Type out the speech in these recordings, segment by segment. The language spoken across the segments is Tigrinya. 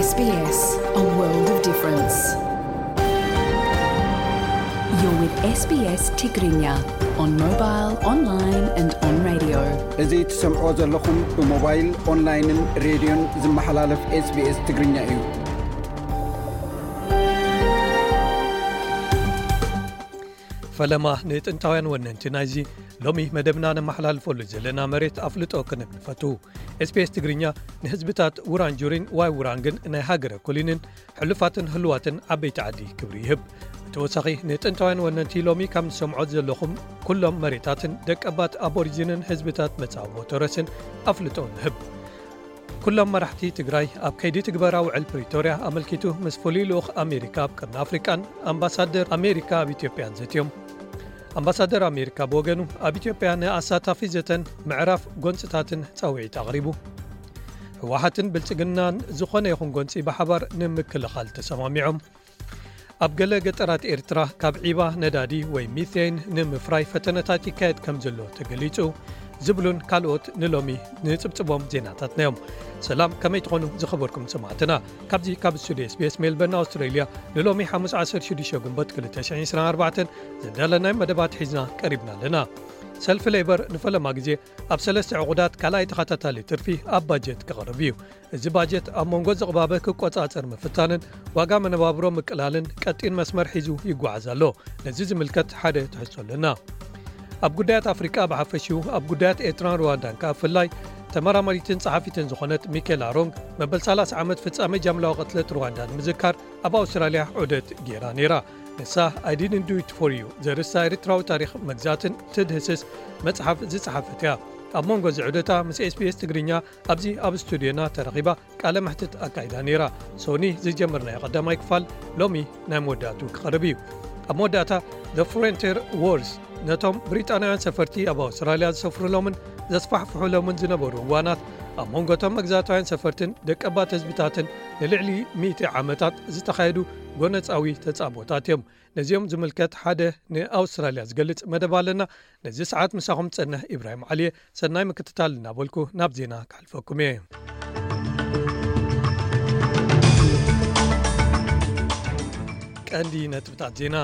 S B S, a world of difference. You're with S B S Tigrinya on mobile, online and on radio. እዚ ትሰምዖ ዘለኹም ብሞባይል፣ ኦንላይንን ሬድዮን ዝመሓላለፍ SBS ትግርኛ እዩ። ፈለማ ንጥንታውያን ወነንቲ ናይዚ ሎሚ መደብና ነመሓላልፈሉ ዘለና መሬት ኣፍልጦ ክንብ ንፈቱ። SBS ትግርኛ ንህዝብታት ውራንጁሪን ዋይ ውራንግን ናይ ሃገረ ኮሊንን ሕሉፋትን ህልዋትን ዓበይቲ ዓዲ ክብሪ ይህብ። ብተወሳኺ ንጥንታውያን ወነንቲ ሎሚ ካብ ንሰምዖ ዘለኹም ኩሎም መሬታትን ደቀባት ኣቦሪጂንን ህዝብታት መጻወቦ ተረስን ኣፍልጦ ንህብ። ኩሎም መራሕቲ ትግራይ ኣብ ከይዲ ትግበራ ውዕል ፕሪቶርያ ኣመልኪቱ ምስ ፍሉይ ልኡኽ ኣሜሪካ ኣብ ቀርኒ ኣፍሪቃን ኣምባሳደር ኣሜሪካ ኣብ ኢትዮጵያን ዘትዮም። ኣምባሳደር ኣሜሪካ ብወገኑ ኣብ ኢትዮጵያ ንኣሳታፊ ዘተን ምዕራፍ ጎንፅታትን ፃውዒት ኣቕሪቡ። ህወሓትን ብልፅግናን ዝኾነ ይኹን ጎንፂ ብሓባር ንምክልኻል ተሰማሚዖም። ኣብ ገለ ገጠራት ኤርትራ ካብ ዒባ ነዳዲ ወይ ሚቴን ንምፍራይ ፈተነታት ይካየድ ከም ዘሎ ተገሊጹ። ዝብሉን ካልኦት ንሎሚ ንጽብጽቦም ዜናታትና እዮም። ሰላም፣ ከመይ ትኾኑ ዝኸበርኩም ሰማዕትና? ካብዚ ካብ ስቱዲዮ SBS ሜልበርን ኣውስትራልያ ንሎሚ ሓሙስ ዓሰርተ ሽዱሽተ ግንቦት ክልተ ሽሕን ዕስራን ኣርባዕተን ዘዳለናይ መደባት ሒዝና ቀሪብና ኣለና። ሰልፊ ሌበር ንፈለማ ግዜ ኣብ ሰለስተ ዕቑዳት ካልኣይ ተኸታታሊ ትርፊ ኣብ ባጀት ክቐርብ እዩ። እዚ ባጀት ኣብ መንጎ ዝቕባበ ክቆጻጸር ምፍታንን ዋጋ መነባብሮ ምቅላልን ቀጢን መስመር ሒዙ ይጓዓዝ ኣሎ። ነዚ ዝምልከት ሓደ ትሕዝቶ ኣለና። ኣብ ጉዳያት ኣፍሪቃ ብሓፈሽኡ ኣብ ጉዳያት ኤርትራን ሩዋንዳን ከኣ ብፍላይ ተመራማሪትን ጸሓፊትን ዝኾነት ሚኬላ ሮንግ መበል ሰላሳ ዓመት ፍጻሜ ጃምላዊ ቅትለት ሩዋንዳ ንምዝካር ኣብ ኣውስትራልያ ዑደት ገይራ ነይራ። ንሳ I didn't do it for you ዘርእስታ ኤርትራዊ ታሪኽ መግዛእትን ትድህስስ መጽሓፍ ዝጸሓፈት እያ። ኣብ መንጎ እዚ ዑደታ ምስ SBS ትግርኛ ኣብዚ ኣብ ስቱድዮና ተረኺባ ቃለ መሕትት ኣካይዳ ነይራ። ሶኒ ዝጀመርናዮ ቀዳማይ ክፋል ሎሚ ናይ መወዳእቱ ክቐርብ እዩ። ኣብ መወዳእታ The Frontier Wars ነቶም ብሪጣንያውያን ሰፈርቲ ኣብ ኣውስትራልያ ዝሰፍሩሎምን ዘስፋሕፍሑሎምን ዝነበሩ እዋናት ኣብ መንጎ እቶም መግዛእታውያን ሰፈርትን ደቀባት ህዝብታትን ንልዕሊ ሚእቲ ዓመታት ዝተኻየዱ ጎነጻዊ ተጻብኦታት እዮም። ነዚኦም ዝምልከት ሓደ ንኣውስትራልያ ዝገልጽ መደብ ኣለና። ነዚ ሰዓት ምሳኹም ጸንሕ ኢብራሂም ዓሊየ። ሰናይ ምክትታል እናበልኩ ናብ ዜና ክሓልፈኩም እየ። ቀንዲ ነጥብታት ዜና።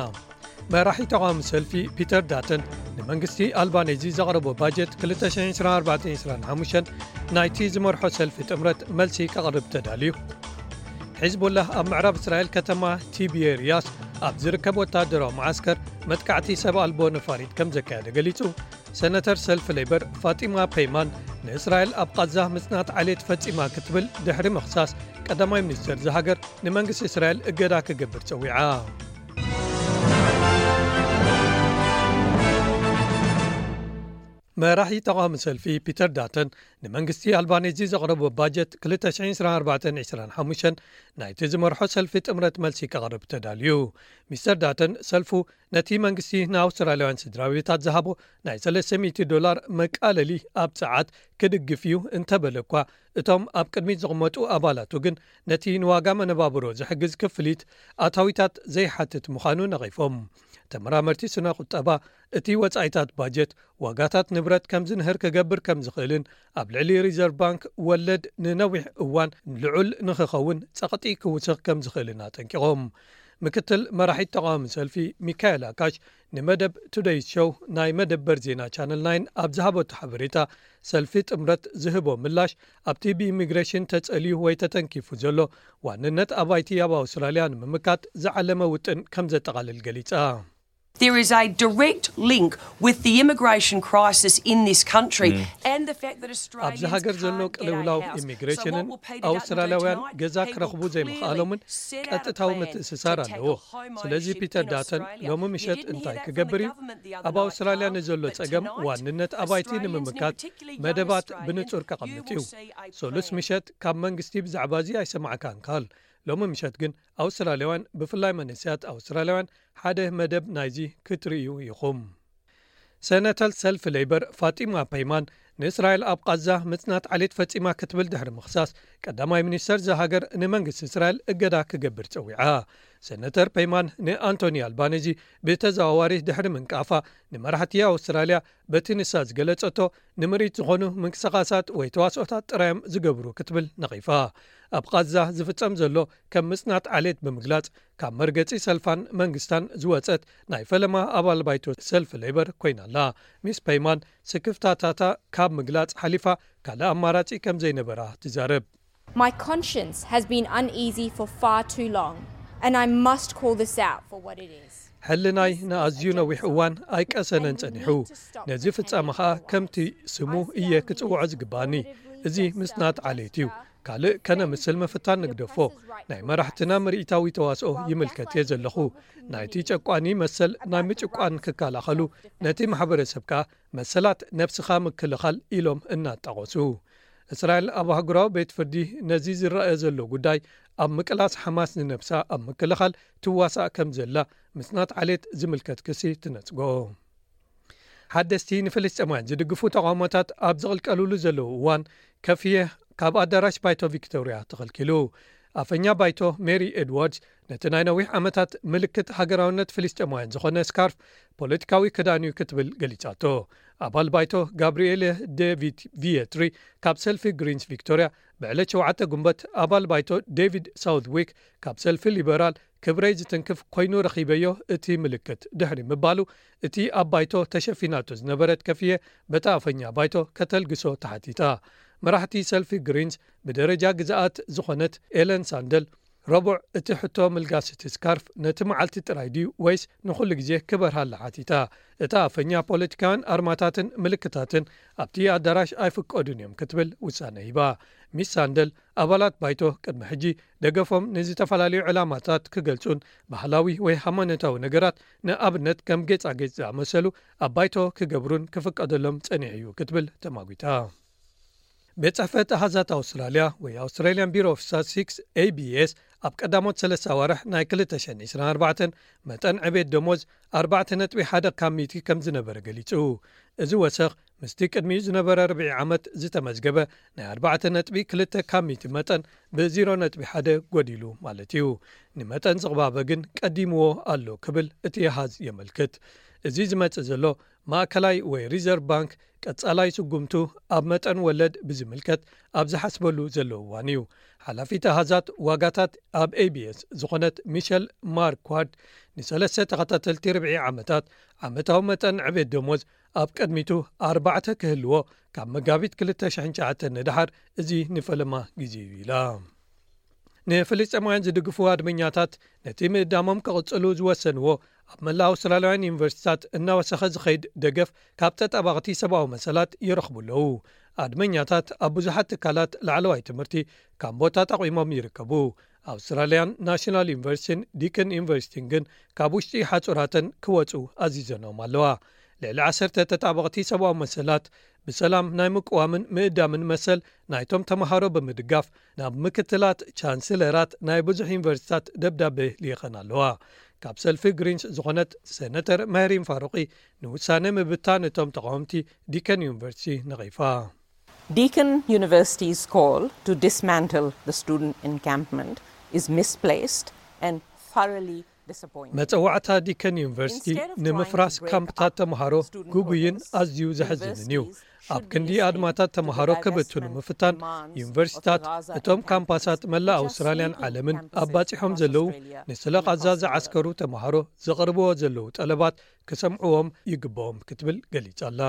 መራሒ ተቓዋሚ ሰልፊ ፒተር ዳተን ንመንግስቲ ኣልባኔዚ ዘቕረቦ ባጀት ክልተ ሽሕን ዕስራን ኣርባዕተን ዕስራን ሓሙሽተን ናይቲ ዝመርሖ ሰልፊ ጥምረት መልሲ ከቕርብ ተዳልዩ። ሒዝቦላህ ኣብ ምዕራብ እስራኤል ከተማ ቲቤርያስ ኣብ ዝርከብ ወታደራዊ መዓስከር መጥቃዕቲ ሰብ ኣልቦ ነፋሪት ከም ዘካየደ ገሊጹ። ሰነተር ሰልፊ ሌበር ፋጢማ ፔይማን ንእስራኤል ኣብ ቃዛ ምጽናት ዓሌት ፈጺማ ክትብል ድሕሪ ምኽሳስ ቀዳማይ ሚኒስተር እዛ ሃገር ንመንግስቲ እስራኤል እገዳ ክገብር ጸዊዓ። መራሒ ተቓዋሚ ሰልፊ ፒተር ዳተን ንመንግስቲ ኣልባኔዚ ዘቕረቦ ባጀት ክልተ ሽሕን ዕስራን ኣርባዕተን ዕስራን ሓሙሽተን ናይቲ ዝመርሖ ሰልፊ ጥምረት መልሲ ከቕርብ ተዳልዩ። ሚስተር ዳተን ሰልፉ ነቲ መንግስቲ ንኣውስትራልያውያን ስድራ ቤታት ዝሃቦ ናይ ሰለስተ ሚእቲ ዶላር መቃለሊ ኣብ ጸዓት ክድግፍ እዩ እንተበለ እኳ፣ እቶም ኣብ ቅድሚት ዝቕመጡ ኣባላቱ ግን ነቲ ንዋጋ መነባብሮ ዝሕግዝ ክፍሊት ኣታዊታት ዘይሓትት ምዃኑ ነቒፎም። ተመራመርቲ ስነ ቁጠባ እቲ ወጻኢታት ባጀት ዋጋታት ንብረት ከም ዝንህር ክገብር ከም ዝኽእልን ኣብ ልዕሊ ሪዘርቭ ባንክ ወለድ ንነዊሕ እዋን ልዑል ንኽኸውን ጸቕጢ ክውስኽ ከም ዝኽእልን ኣጠንቂቖም። ምክትል መራሒት ተቓዋሚ ሰልፊ ሚካኤል ኣካሽ ንመደብ ቱደይ ሾው ናይ መደበር ዜና ቻነል ናይን ኣብ ዝሃበቶ ሓበሬታ፣ ሰልፊ ጥምረት ዝህቦ ምላሽ ኣብቲ ብኢሚግሬሽን ተጸልዩ ወይ ተተንኪፉ ዘሎ ዋንነት ኣባይቲ ኣብ ኣውስትራልያ ንምምካት ዝዓለመ ውጥን ከም ዘጠቓልል ገሊጻ። There is a direct link with the immigration crisis in this country and the fact that Australians ኣብዚ ሃገር ዘሎ can't get a ቅልውላው house. So what ኢሚግሬሽንን will Peter Dutton do ኣውስትራልያውያን tonight? ገዛ He will ክረኽቡ clearly ዘይምኽኣሎምን set out a ቀጥታዊ plan ምትእስሳር to ኣለዎ። tackle home ስለዚ ownership ፒተር in ዳተን Australia. ሎሚ He ምሸት didn't hear እንታይ that from the ክገብር እዩ? government the ኣብ other night, ኣውስትራልያ Carl, ንዘሎ but ጸገም tonight, ዋንነት ኣባይቲ Australians, ንምምካት particularly young መደባት Australians, ብንጹር you ከቐምጥ will እዩ። see a ሶሉስ plan. ምሸት ካብ መንግስቲ ብዛዕባ እዚ ኣይሰማዕካን ካል። ሎሚ ምሸት ግን ኣውስትራልያውያን ብፍላይ መንእሰያት ኣውስትራልያውያን ሓደ መደብ ናይዚ ክትርእዩ ኢኹም። ሰነተር ሰልፊ ሌበር ፋጢማ ፔይማን ንእስራኤል ኣብ ቃዛ ምጽናት ዓሌት ፈጺማ ክትብል ድሕሪ ምኽሳስ ቀዳማይ ሚኒስተር እዛ ሃገር ንመንግስቲ እስራኤል እገዳ ክገብር ጸዊዓ። ሰነተር ፔይማን ንኣንቶኒ ኣልባኒዚ ብተዘዋዋሪ ድሕሪ ምንቃፋ፣ ንመራሕቲ ኣውስትራልያ በቲ ንሳ ዝገለጸቶ ንምርኢት ዝኾኑ ምንቅስቓሳት ወይ ተዋስኦታት ጥራዮም ዝገብሩ ክትብል ነቒፋ። ኣብ ቓዛ ዝፍጸም ዘሎ ከም ምጽናት ዓሌት ብምግላጽ፣ ካብ መርገጺ ሰልፋን መንግስታን ዝወጸት ናይ ፈለማ ኣባል ባይቶ ሰልፊ ሌበር ኮይና ኣላ። ሚስ ፔይማን ስክፍታታታ ካብ ምግላጽ ሓሊፋ ካልእ ኣማራጺ ከም ዘይነበራ ትዛረብ። My conscience has been uneasy for far too long, and I must call this out for what it is. ሕልናይ ንኣዝዩ ነዊሕ እዋን ኣይቀሰነን ጸኒሑ። ነዚ ፍጻመ ኸኣ ከምቲ ስሙ እየ ክጽውዖ ዝግባኒ። እዚ ምጽናት ዓሌት እዩ። ካልእ ከነምስል ምፍታን ንግደፎ። ናይ መራሕትና ምርኢታዊ ተዋስኦ ይምልከት እየ ዘለኹ። ናይቲ ጨቋኒ መሰል ናይ ምጭቋን ክከላኸሉ፣ ነቲ ማሕበረሰብ ከኣ መሰላት ነብስኻ ምክልኻል ኢሎም እናጣቐሱ። እስራኤል ኣብ ኣህጉራዊ ቤት ፍርዲ ነዚ ዝረኣ ዘሎ ጉዳይ ኣብ ምቅላስ ሓማስ ንነብሳ ኣብ ምክልኻል ትዋሳእ ከም ዘላ ምጽናት ዓሌት ዝምልከት ክሲ ትነጽጎ። ሓደስቲ ንፍልስጤማውያን ዝድግፉ ተቓውሞታት ኣብ ዝቕልቀሉሉ ዘለዉ እዋን ከፍየ ካብ ኣዳራሽ ባይቶ ቪክቶርያ ተኸልኪሉ። ኣፈኛ ባይቶ ሜሪ ኤድዋርድስ ነቲ ናይ ነዊሕ ዓመታት ምልክት ሃገራውነት ፍልስጤማውያን ዝኾነ ስካርፍ ፖለቲካዊ ክዳን እዩ ክትብል ገሊጻቶ። ኣባል ባይቶ ጋብሪኤለ ዴቪድ ቪየትሪ ካብ ሰልፊ ግሪንስ ቪክቶርያ፣ ብዕለት ሸውዓተ ጉንበት ኣባል ባይቶ ዴቪድ ሳውትዊክ ካብ ሰልፊ ሊበራል ክብረይ ዝትንክፍ ኮይኑ ረኺበዮ እቲ ምልክት ድሕሪ ምባሉ፣ እቲ ኣብ ባይቶ ተሸፊናቶ ዝነበረት ከፍየ በታ ኣፈኛ ባይቶ ከተልግሶ ተሓቲታ። መራሕቲ ሰልፊ ግሪንስ ብደረጃ ግዝኣት ዝኾነት ኤለን ሳንደል፣ ረቡዕ እቲ ሕቶ ምልጋስ እቲ ስካርፍ ነቲ መዓልቲ ጥራይ ድዩ ወይስ ንኹሉ ግዜ ክበርሃላ ሓቲታ። እታ ኣፈኛ ፖለቲካውያን ኣርማታትን ምልክታትን ኣብቲ ኣዳራሽ ኣይፍቀዱን እዮም ክትብል ውሳነ ሂባ። ሚስ ሳንደል ኣባላት ባይቶ ቅድሚ ሕጂ ደገፎም ንዝተፈላለዩ ዕላማታት ክገልጹን ባህላዊ ወይ ሃይማኖታዊ ነገራት ንኣብነት ከም ጌጻጌጽ ዝኣመሰሉ ኣብ ባይቶ ክገብሩን ክፍቀደሎም ጸኒሑ እዩ ክትብል ተማጒታ። ቤት ጽሕፈት ኣሃዛት ኣውስትራልያ ወይ Australian Bureau of Statistics፣ ኤ ቢ ኤስ፣ ኣብ ቀዳሞት ሰለስተ ኣዋርሕ ናይ ክልተ ሽሕን ዕስራን ኣርባዕተን መጠን ዕቤት ደሞዝ ኣርባዕተ ነጥቢ ሓደ ካብ ሚእቲ ከም ዝነበረ ገሊጹ። እዚ ወሰኽ ምስቲ ቅድሚኡ ዝነበረ ርብዒ ዓመት ዝተመዝገበ ናይ ኣርባዕተ ነጥቢ ክልተ ካብ ሚእቲ መጠን ብ ዜሮ ነጥቢ ሓደ ጎዲሉ ማለት እዩ። ንመጠን ዝቕባበ ግን ቀዲምዎ ኣሎ ክብል እቲ ኣሃዝ የመልክት። እዚ ዝመጽእ ዘሎ ማእከላይ ወይ ሪዘርቭ ባንክ ቀጻላይ ስጉምቱ ኣብ መጠን ወለድ ብዝምልከት ኣብ ዝሓስበሉ ዘሎ እዋን እዩ። ሓላፊት ኣሃዛት ዋጋታት ኣብ ኤ ቢ ኤስ ዝኾነት ሚሸል ማርኳርድ፣ ንሰለስተ ተኸታተልቲ ርብዒ ዓመታት ዓመታዊ መጠን ዕቤት ደሞዝ ኣብ ቅድሚቱ ኣርባዕተ ክህልዎ፣ ካብ መጋቢት ክልተ ሽሕን ትሽዓተን ንደሓር እዚ ንፈለማ ግዜ እዩ ኢላ። ንፍልስጤማውያን ዝድግፉ ኣድመኛታት ነቲ ምእዳሞም ክቕጽሉ ዝወሰንዎ ኣብ መላእ ኣውስትራልያውያን ዩኒቨርሲቲታት እናወሰኸ ዝኸይድ ደገፍ ካብ ተጣባቕቲ ሰብኣዊ መሰላት ይረኽቡ ኣለዉ። ኣድመኛታት ኣብ ብዙሓት ትካላት ላዕለዋይ ትምህርቲ ካምቦታት ኣቑሞም ይርከቡ። ኣውስትራልያን ናሽናል ዩኒቨርሲቲን ዲክን ዩኒቨርሲቲን ግን ካብ ውሽጢ ሓጹራተን ክወጹ ኣዚዘኖም ኣለዋ። ልዕሊ ዓሰርተ ተጣበቕቲ ሰብኣዊ መሰላት ብሰላም ናይ ምቅዋምን ምእዳምን መሰል ናይቶም ተምሃሮ ብምድጋፍ ናብ ምክትላት ቻንስለራት ናይ ብዙሕ ዩኒቨርሲታት ደብዳቤ ልኢኸን ኣለዋ። ካብ ሰልፊ ግሪንስ ዝኾነት ሰነተር መህሪን ፋሩቂ ንውሳነ ምብታን እቶም ተቃወምቲ ዲከን ዩኒቨርሲቲ ነቒፋ። Deakin University's call to dismantle the student encampment is misplaced and thoroughly disappointing. መጸዋዕታ ዲከን ዩኒቨርሲቲ ንምፍራስ ካምፕታት ተምሃሮ ግጉይን ኣዝዩ ዘሕዝንን እዩ። ኣብ ክንዲ ኣድማታት ተምሃሮ ክብትኑ ምፍታን፣ ዩኒቨርሲታት እቶም ካምፓሳት መላእ ኣውስትራልያን ዓለምን ኣባጺሖም ዘለዉ ንስለ ቓዛ ዝዓስከሩ ተምሃሮ ዘቕርብዎ ዘለዉ ጠለባት ክሰምዕዎም ይግብኦም ክትብል ገሊጻ ኣላ።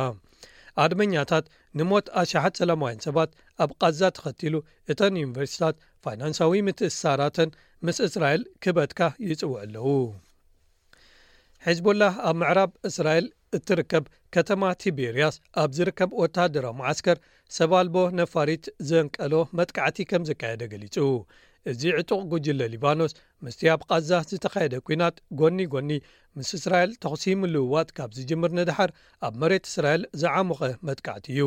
ኣድመኛታት ንሞት ኣሽሓት ሰላማውያን ሰባት ኣብ ቓዛ ተኸቲሉ፣ እተን ዩኒቨርሲታት ፋይናንሳዊ ምትእስሳራተን ምስ እስራኤል ክበትካ ይጽውዑ ኣለዉ። ሒዝቦላህ ኣብ ምዕራብ እስራኤል እትርከብ ከተማ ቲቤርያስ ኣብ ዝርከብ ወተሃደራዊ መዓስከር ሰብ ኣልቦ ነፋሪት ዘንቀሎ መጥቃዕቲ ከም ዘካየደ ገሊጹ። እዚ ዕጡቕ ጉጅለ ሊባኖስ ምስቲ ኣብ ቓዛ ዝተኻየደ ኲናት ጎኒ ጎኒ ምስ እስራኤል ተኹሲ ምልውዋጥ ካብ ዝጅምር ንደሓር ኣብ መሬት እስራኤል ዝዓሞቐ መጥቃዕቲ እዩ።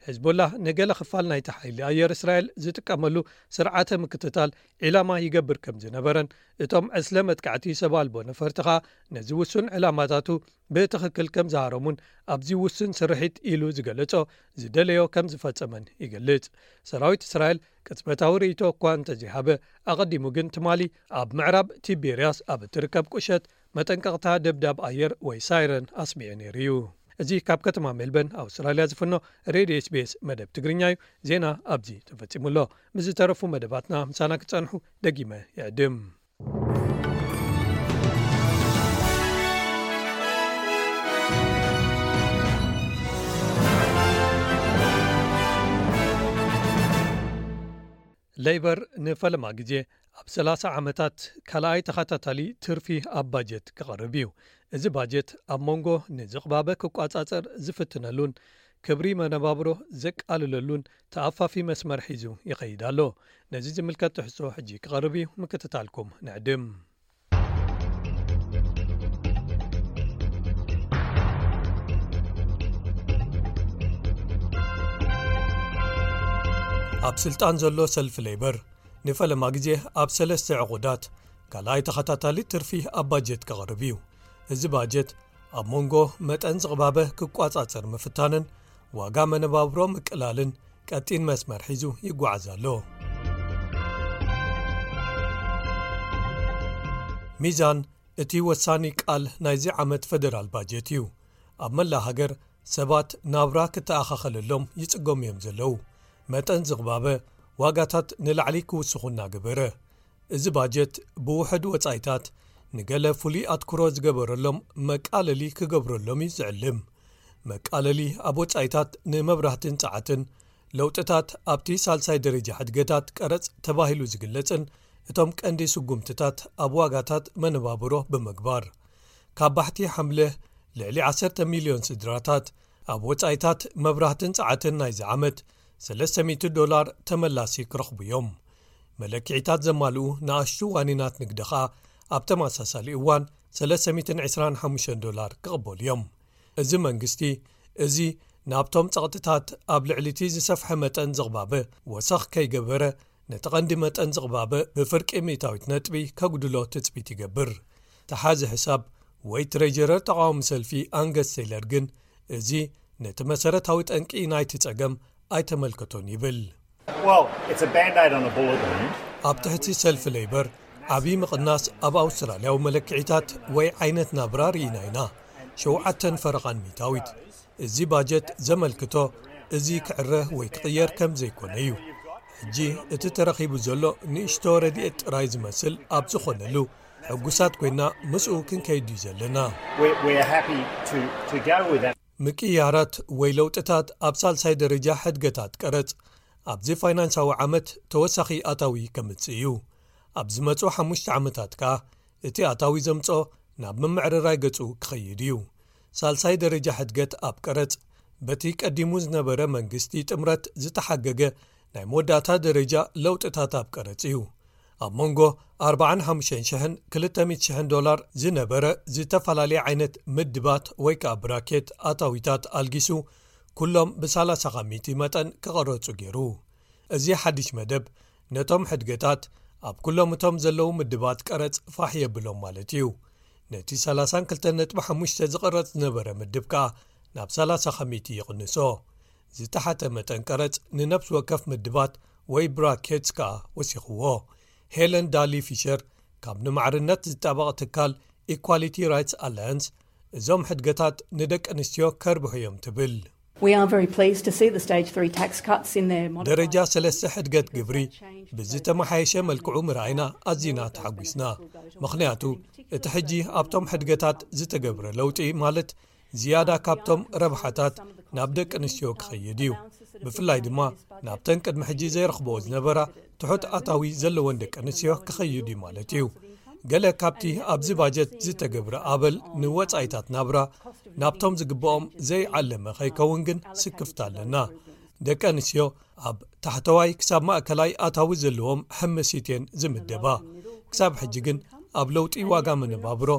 ሒዝቦላህ ንገለ ክፋል ናይቲ ሓይሊ ኣየር እስራኤል ዝጥቀመሉ ስርዓተ ምክትታል ዒላማ ይገብር ከም ዝነበረን እቶም ዕስለ መጥቃዕቲ ሰብ ኣልቦ ነፈርቲ ኸኣ ነዚ ውሱን ዕላማታቱ ብትኽክል ከም ዝሃረሙን ኣብዚ ውሱን ስርሒት ኢሉ ዝገለጾ ዝደለዮ ከም ዝፈጸመን ይገልጽ። ሰራዊት እስራኤል ቅጽበታዊ ርእይቶ እኳ እንተዘይሃበ፣ ኣቐዲሙ ግን ትማሊ ኣብ ምዕራብ ቲቤርያስ ኣብ እትርከብ ቁሸት መጠንቀቕታ ደብዳብ ኣየር ወይ ሳይረን ኣስሚዑ ነይሩ እዩ። እዚ ካብ ከተማ ሜልበርን ኣውስትራልያ ዝፍኖ ሬድዮ ኤስቢኤስ መደብ ትግርኛ እዩ። ዜና ኣብዚ ተፈጺሙ ኣሎ። ምስ ዝተረፉ መደባትና ምሳና ክትጸንሑ ደጊመ ይዕድም። ሌይበር ንፈለማ ግዜ ኣብ ሰላሳ ዓመታት ካልኣይ ተኸታታሊ ትርፊ ኣብ ባጀት ክቐርብ እዩ። እዚ ባጀት ኣብ መንጎ ንዝቕባበ ክቋጻጸር ዝፍትነሉን ክብሪ መነባብሮ ዘቃልለሉን ተኣፋፊ መስመር ሒዙ ይኸይድ ኣሎ። ነዚ ዝምልከት ትሕዝቶ ሕጂ ክቐርብ እዩ፣ ምክትታልኩም ንዕድም። ኣብ ስልጣን ዘሎ ሰልፊ ሌይበር ንፈለማ ግዜ ኣብ ሰለስተ ዕቑዳት ካልኣይ ተኸታታሊ ትርፊ ኣብ ባጀት ክቐርብ እዩ። እዚ ባጀት ኣብ መንጎ መጠን ዝቕባበ ክቋጻጸር ምፍታንን ዋጋ መነባብሮ ምቅላልን ቀጢን መስመር ሒዙ ይጓዓዝ ኣሎ። ሚዛን እቲ ወሳኒ ቃል ናይዚ ዓመት ፈደራል ባጀት እዩ። ኣብ መላእ ሃገር ሰባት ናብራ ክተኣኻኸለሎም ይጽገሙ እዮም ዘለዉ። መጠን ዝቕባበ፣ ዋጋታት ንላዕሊ ክውስኹ እናገበረ፣ እዚ ባጀት ብውሑድ ወጻኢታት ንገለ ፍሉይ ኣትኩሮ ዝገበረሎም መቃለሊ ክገብረሎም እዩ ዝዕልም። መቃለሊ ኣብ ወጻኢታት ንመብራህትን ጸዓትን፣ ለውጥታት ኣብቲ ሳልሳይ ደረጃ ሕድገታት ቀረጽ ተባሂሉ ዝግለጽን እቶም ቀንዲ ስጉምትታት ኣብ ዋጋታት መነባብሮ ብምግባር፣ ካብ ባሕቲ ሓምለ ልዕሊ ዓሰርተ ሚልዮን ስድራታት ኣብ ወጻኢታት መብራህትን ጸዓትን ናይዚ ዓመት ሰለስተ ሚእቲ ዶላር ተመላሲ ክረኽቡ እዮም። መለክዒታት ዘማልኡ ንኣሽቱ ዋኒናት ንግዲ ኸኣ ኣብ ተመሳሳሊ እዋን ሰለስተ ሚእትን ዕስራን ሓሙሽተን ዶላር ክቕበሉ እዮም። እዚ መንግስቲ እዚ ናብቶም ጸቕጥታት ኣብ ልዕሊ እቲ ዝሰፍሐ መጠን ዝቕባበ ወሰኽ ከይገበረ፣ ነቲ ቀንዲ መጠን ዝቕባበ ብፍርቂ ሚእታዊት ነጥቢ ከጉድሎ ትጽቢት ይገብር። ተሓዚ ሕሳብ ወይ ትሬጀረር ተቓዋሚ ሰልፊ ኣንገስ ቴይለር ግን፣ እዚ ነቲ መሰረታዊ ጠንቂ ናይቲ ጸገም ኣይተመልከቶን ይብል። Well, it's a band-aid on a bullet wound. ኣብ ትሕቲ ሰልፊ ሌይበር ዓብዪ ምቕናስ ኣብ ኣውስትራልያዊ መለክዒታት ወይ ዓይነት ናብራ ርኢና ኢና። ሸውዓተን ፈረቓን ሚእታዊት። እዚ ባጀት ዘመልክቶ እዚ ክዕረ ወይ ክቕየር ከም ዘይኮነ እዩ። ሕጂ እቲ ተረኺቡ ዘሎ ንእሽቶ ረድኤት ጥራይ ዝመስል ኣብ ዝኾነሉ፣ ሕጉሳት ኮይና ምስኡ ክንከይድ እዩ ዘለና። We're, we're happy to, to go with that. ምቅያራት ወይ ለውጥታት ኣብ ሳልሳይ ደረጃ ሕድገታት ቀረጽ ኣብዚ ፋይናንሳዊ ዓመት ተወሳኺ ኣታዊ ከምጽእ እዩ። ኣብ ዝመጹ ሓሙሽተ ዓመታት ከኣ እቲ ኣታዊ ዘምጽኦ ናብ ምምዕርራይ ገጹ ክኸይድ እዩ። ሳልሳይ ደረጃ ሕድገት ኣብ ቀረጽ በቲ ቀዲሙ ዝነበረ መንግስቲ ጥምረት ዝተሓገገ ናይ መወዳእታ ደረጃ ለውጥታት ኣብ ቀረጽ እዩ። ኣብ መንጎ ኣርባዓን ሓሙሽተን ሽሕን ክልተ ሚእቲ ሽሕን ዶላር ዝነበረ ዝተፈላለየ ዓይነት ምድባት ወይ ከኣ ብራኬት ኣታዊታት ኣልጊሱ፣ ኩሎም ብሰላሳ ካብ ሚእቲ መጠን ክቐረጹ ገይሩ። እዚ ሓድሽ መደብ ነቶም ሕድገታት ኣብ ኩሎም እቶም ዘለዉ ምድባት ቀረጽ ፋሕ የብሎም ማለት እዩ። ነቲ ሰላሳን ክልተን ነጥቢ ሓሙሽተ ዝቐረጽ ዝነበረ ምድብ ከኣ ናብ ሰላሳ ካብ ሚእቲ ይቕንሶ። ዝተሓተ መጠን ቀረጽ ንነፍሲ ወከፍ ምድባት ወይ ብራኬትስ ከኣ ወሲኽዎ። ሄለን ዳሊ ፊሸር ካብ ንማዕርነት ዝጣበቕ ትካል ኢኳሊቲ ራይትስ ኣላያንስ፣ እዞም ሕድገታት ንደቂ ኣንስትዮ ከርብሑ እዮም ትብል። We are very pleased to see the stage three tax cuts in their modified ደረጃ ሰለስተ ሕድገት ግብሪ ብዝተመሓየሸ መልክዑ ምርኣይና ኣዚና ተሓጒስና። ምኽንያቱ እቲ ሕጂ ኣብቶም ሕድገታት ዝተገብረ ለውጢ ማለት ዝያዳ ካብቶም ረብሓታት ናብ ደቂ ኣንስትዮ ክኸይድ እዩ። ብፍላይ ድማ ናብተን ቅድሚ ሕጂ ዘይረኽብኦ ዝነበራ ትሑት ኣታዊ ዘለወን ደቂ ኣንስትዮ ክኸይድ እዩ ማለት እዩ። ገለ ካብቲ ኣብዚ ባጀት ዝተገብረ ኣበል ንወጻኢታት ናብራ ናብቶም ዝግብኦም ዘይዓለመ ከይከውን ግን ስክፍታ ኣለና። ደቂ ኣንስትዮ ኣብ ታሕተዋይ ክሳብ ማእከላይ ኣታዊ ዘለዎም ሕምሲት እየን ዝምደባ። ክሳብ ሕጂ ግን ኣብ ለውጢ ዋጋ መነባብሮ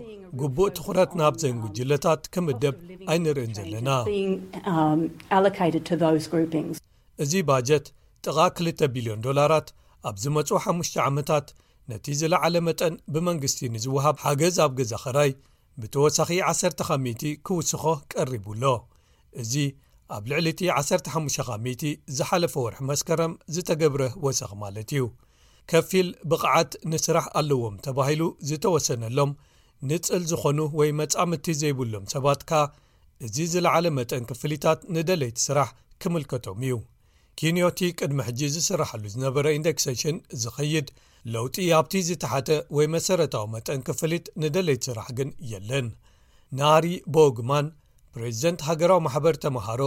ግቡእ ትኹረት ናብዘን ጉጅለታት ክምደብ ኣይንርእን ዘለና። being um, allocated to those groupings. እዚ ባጀት ጥቓ ክልተ ቢልዮን ዶላራት ኣብ ዝመጹ ሓሙሽተ ዓመታት ነቲ ዝለዓለ መጠን ብመንግስቲ ንዝወሃብ ሓገዝ ኣብ ገዛ ኸራይ ብተወሳኺ ዓሰርተ ካብ ሚእቲ ክውስኾ ቀሪቡ ኣሎ። እዚ ኣብ ልዕሊ እቲ ዓሰርተ ሓሙሽተ ካብ ሚእቲ ዝሓለፈ ወርሒ መስከረም ዝተገብረ ወሰኽ ማለት እዩ። ከፊል ብቕዓት ንስራሕ ኣለዎም ተባሂሉ ዝተወሰነሎም ንጽል ዝኾኑ ወይ መጻምድቲ ዘይብሎም ሰባት ከኣ እዚ ዝለዓለ መጠን ክፍሊታት ንደለይቲ ስራሕ ክምልከቶም እዩ። ኪንዮቲ ቅድሚ ሕጂ ዝስራሓሉ ዝነበረ ኢንደክሴሽን ዝኸይድ ለውጢ ኣብቲ ዝተሓተ ወይ መሰረታዊ መጠን ክፍሊት ንደለይቲ ስራሕ ግን የለን። ናሪ ቦግማን፣ ፕሬዚደንት ሃገራዊ ማሕበር ተምሃሮ፣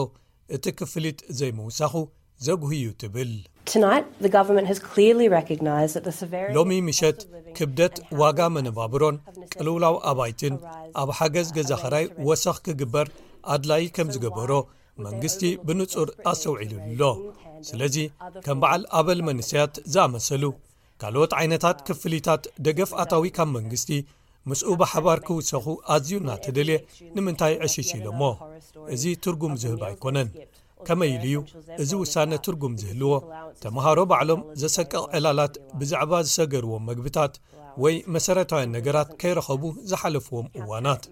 እቲ ክፍሊት ዘይምውሳኹ ዘጉህዩ ትብል። Tonight, the government has clearly recognised that the severity ሎሚ ምሸት ክብደት ዋጋ መነባብሮን ቅልውላው ኣባይትን ኣብ ሓገዝ ገዛ ኸራይ ወሰኽ ክግበር ኣድላይ ከም ዝገበሮ መንግስቲ ብንጹር ኣስተውዒሉ ኣሎ። ስለዚ ከም በዓል ኣበል መንስያት ዝኣመሰሉ ካልኦት ዓይነታት ክፍሊታት ደገፍ ኣታዊ ካብ መንግስቲ ምስኡ ብሓባር ክውሰኹ ኣዝዩ እናተደልየ ንምንታይ ዕሽሽ ኢሎሞ? እዚ ትርጉም ዝህብ ኣይኮነን። ከመይ ኢሉ እዩ እዚ ውሳነ ትርጉም ዝህልዎ? ተምሃሮ ባዕሎም ዘሰቅቕ ዕላላት ብዛዕባ ዝሰገርዎም መግብታት ወይ መሰረታውያን ነገራት ከይረኸቡ ዝሓለፍዎም እዋናት።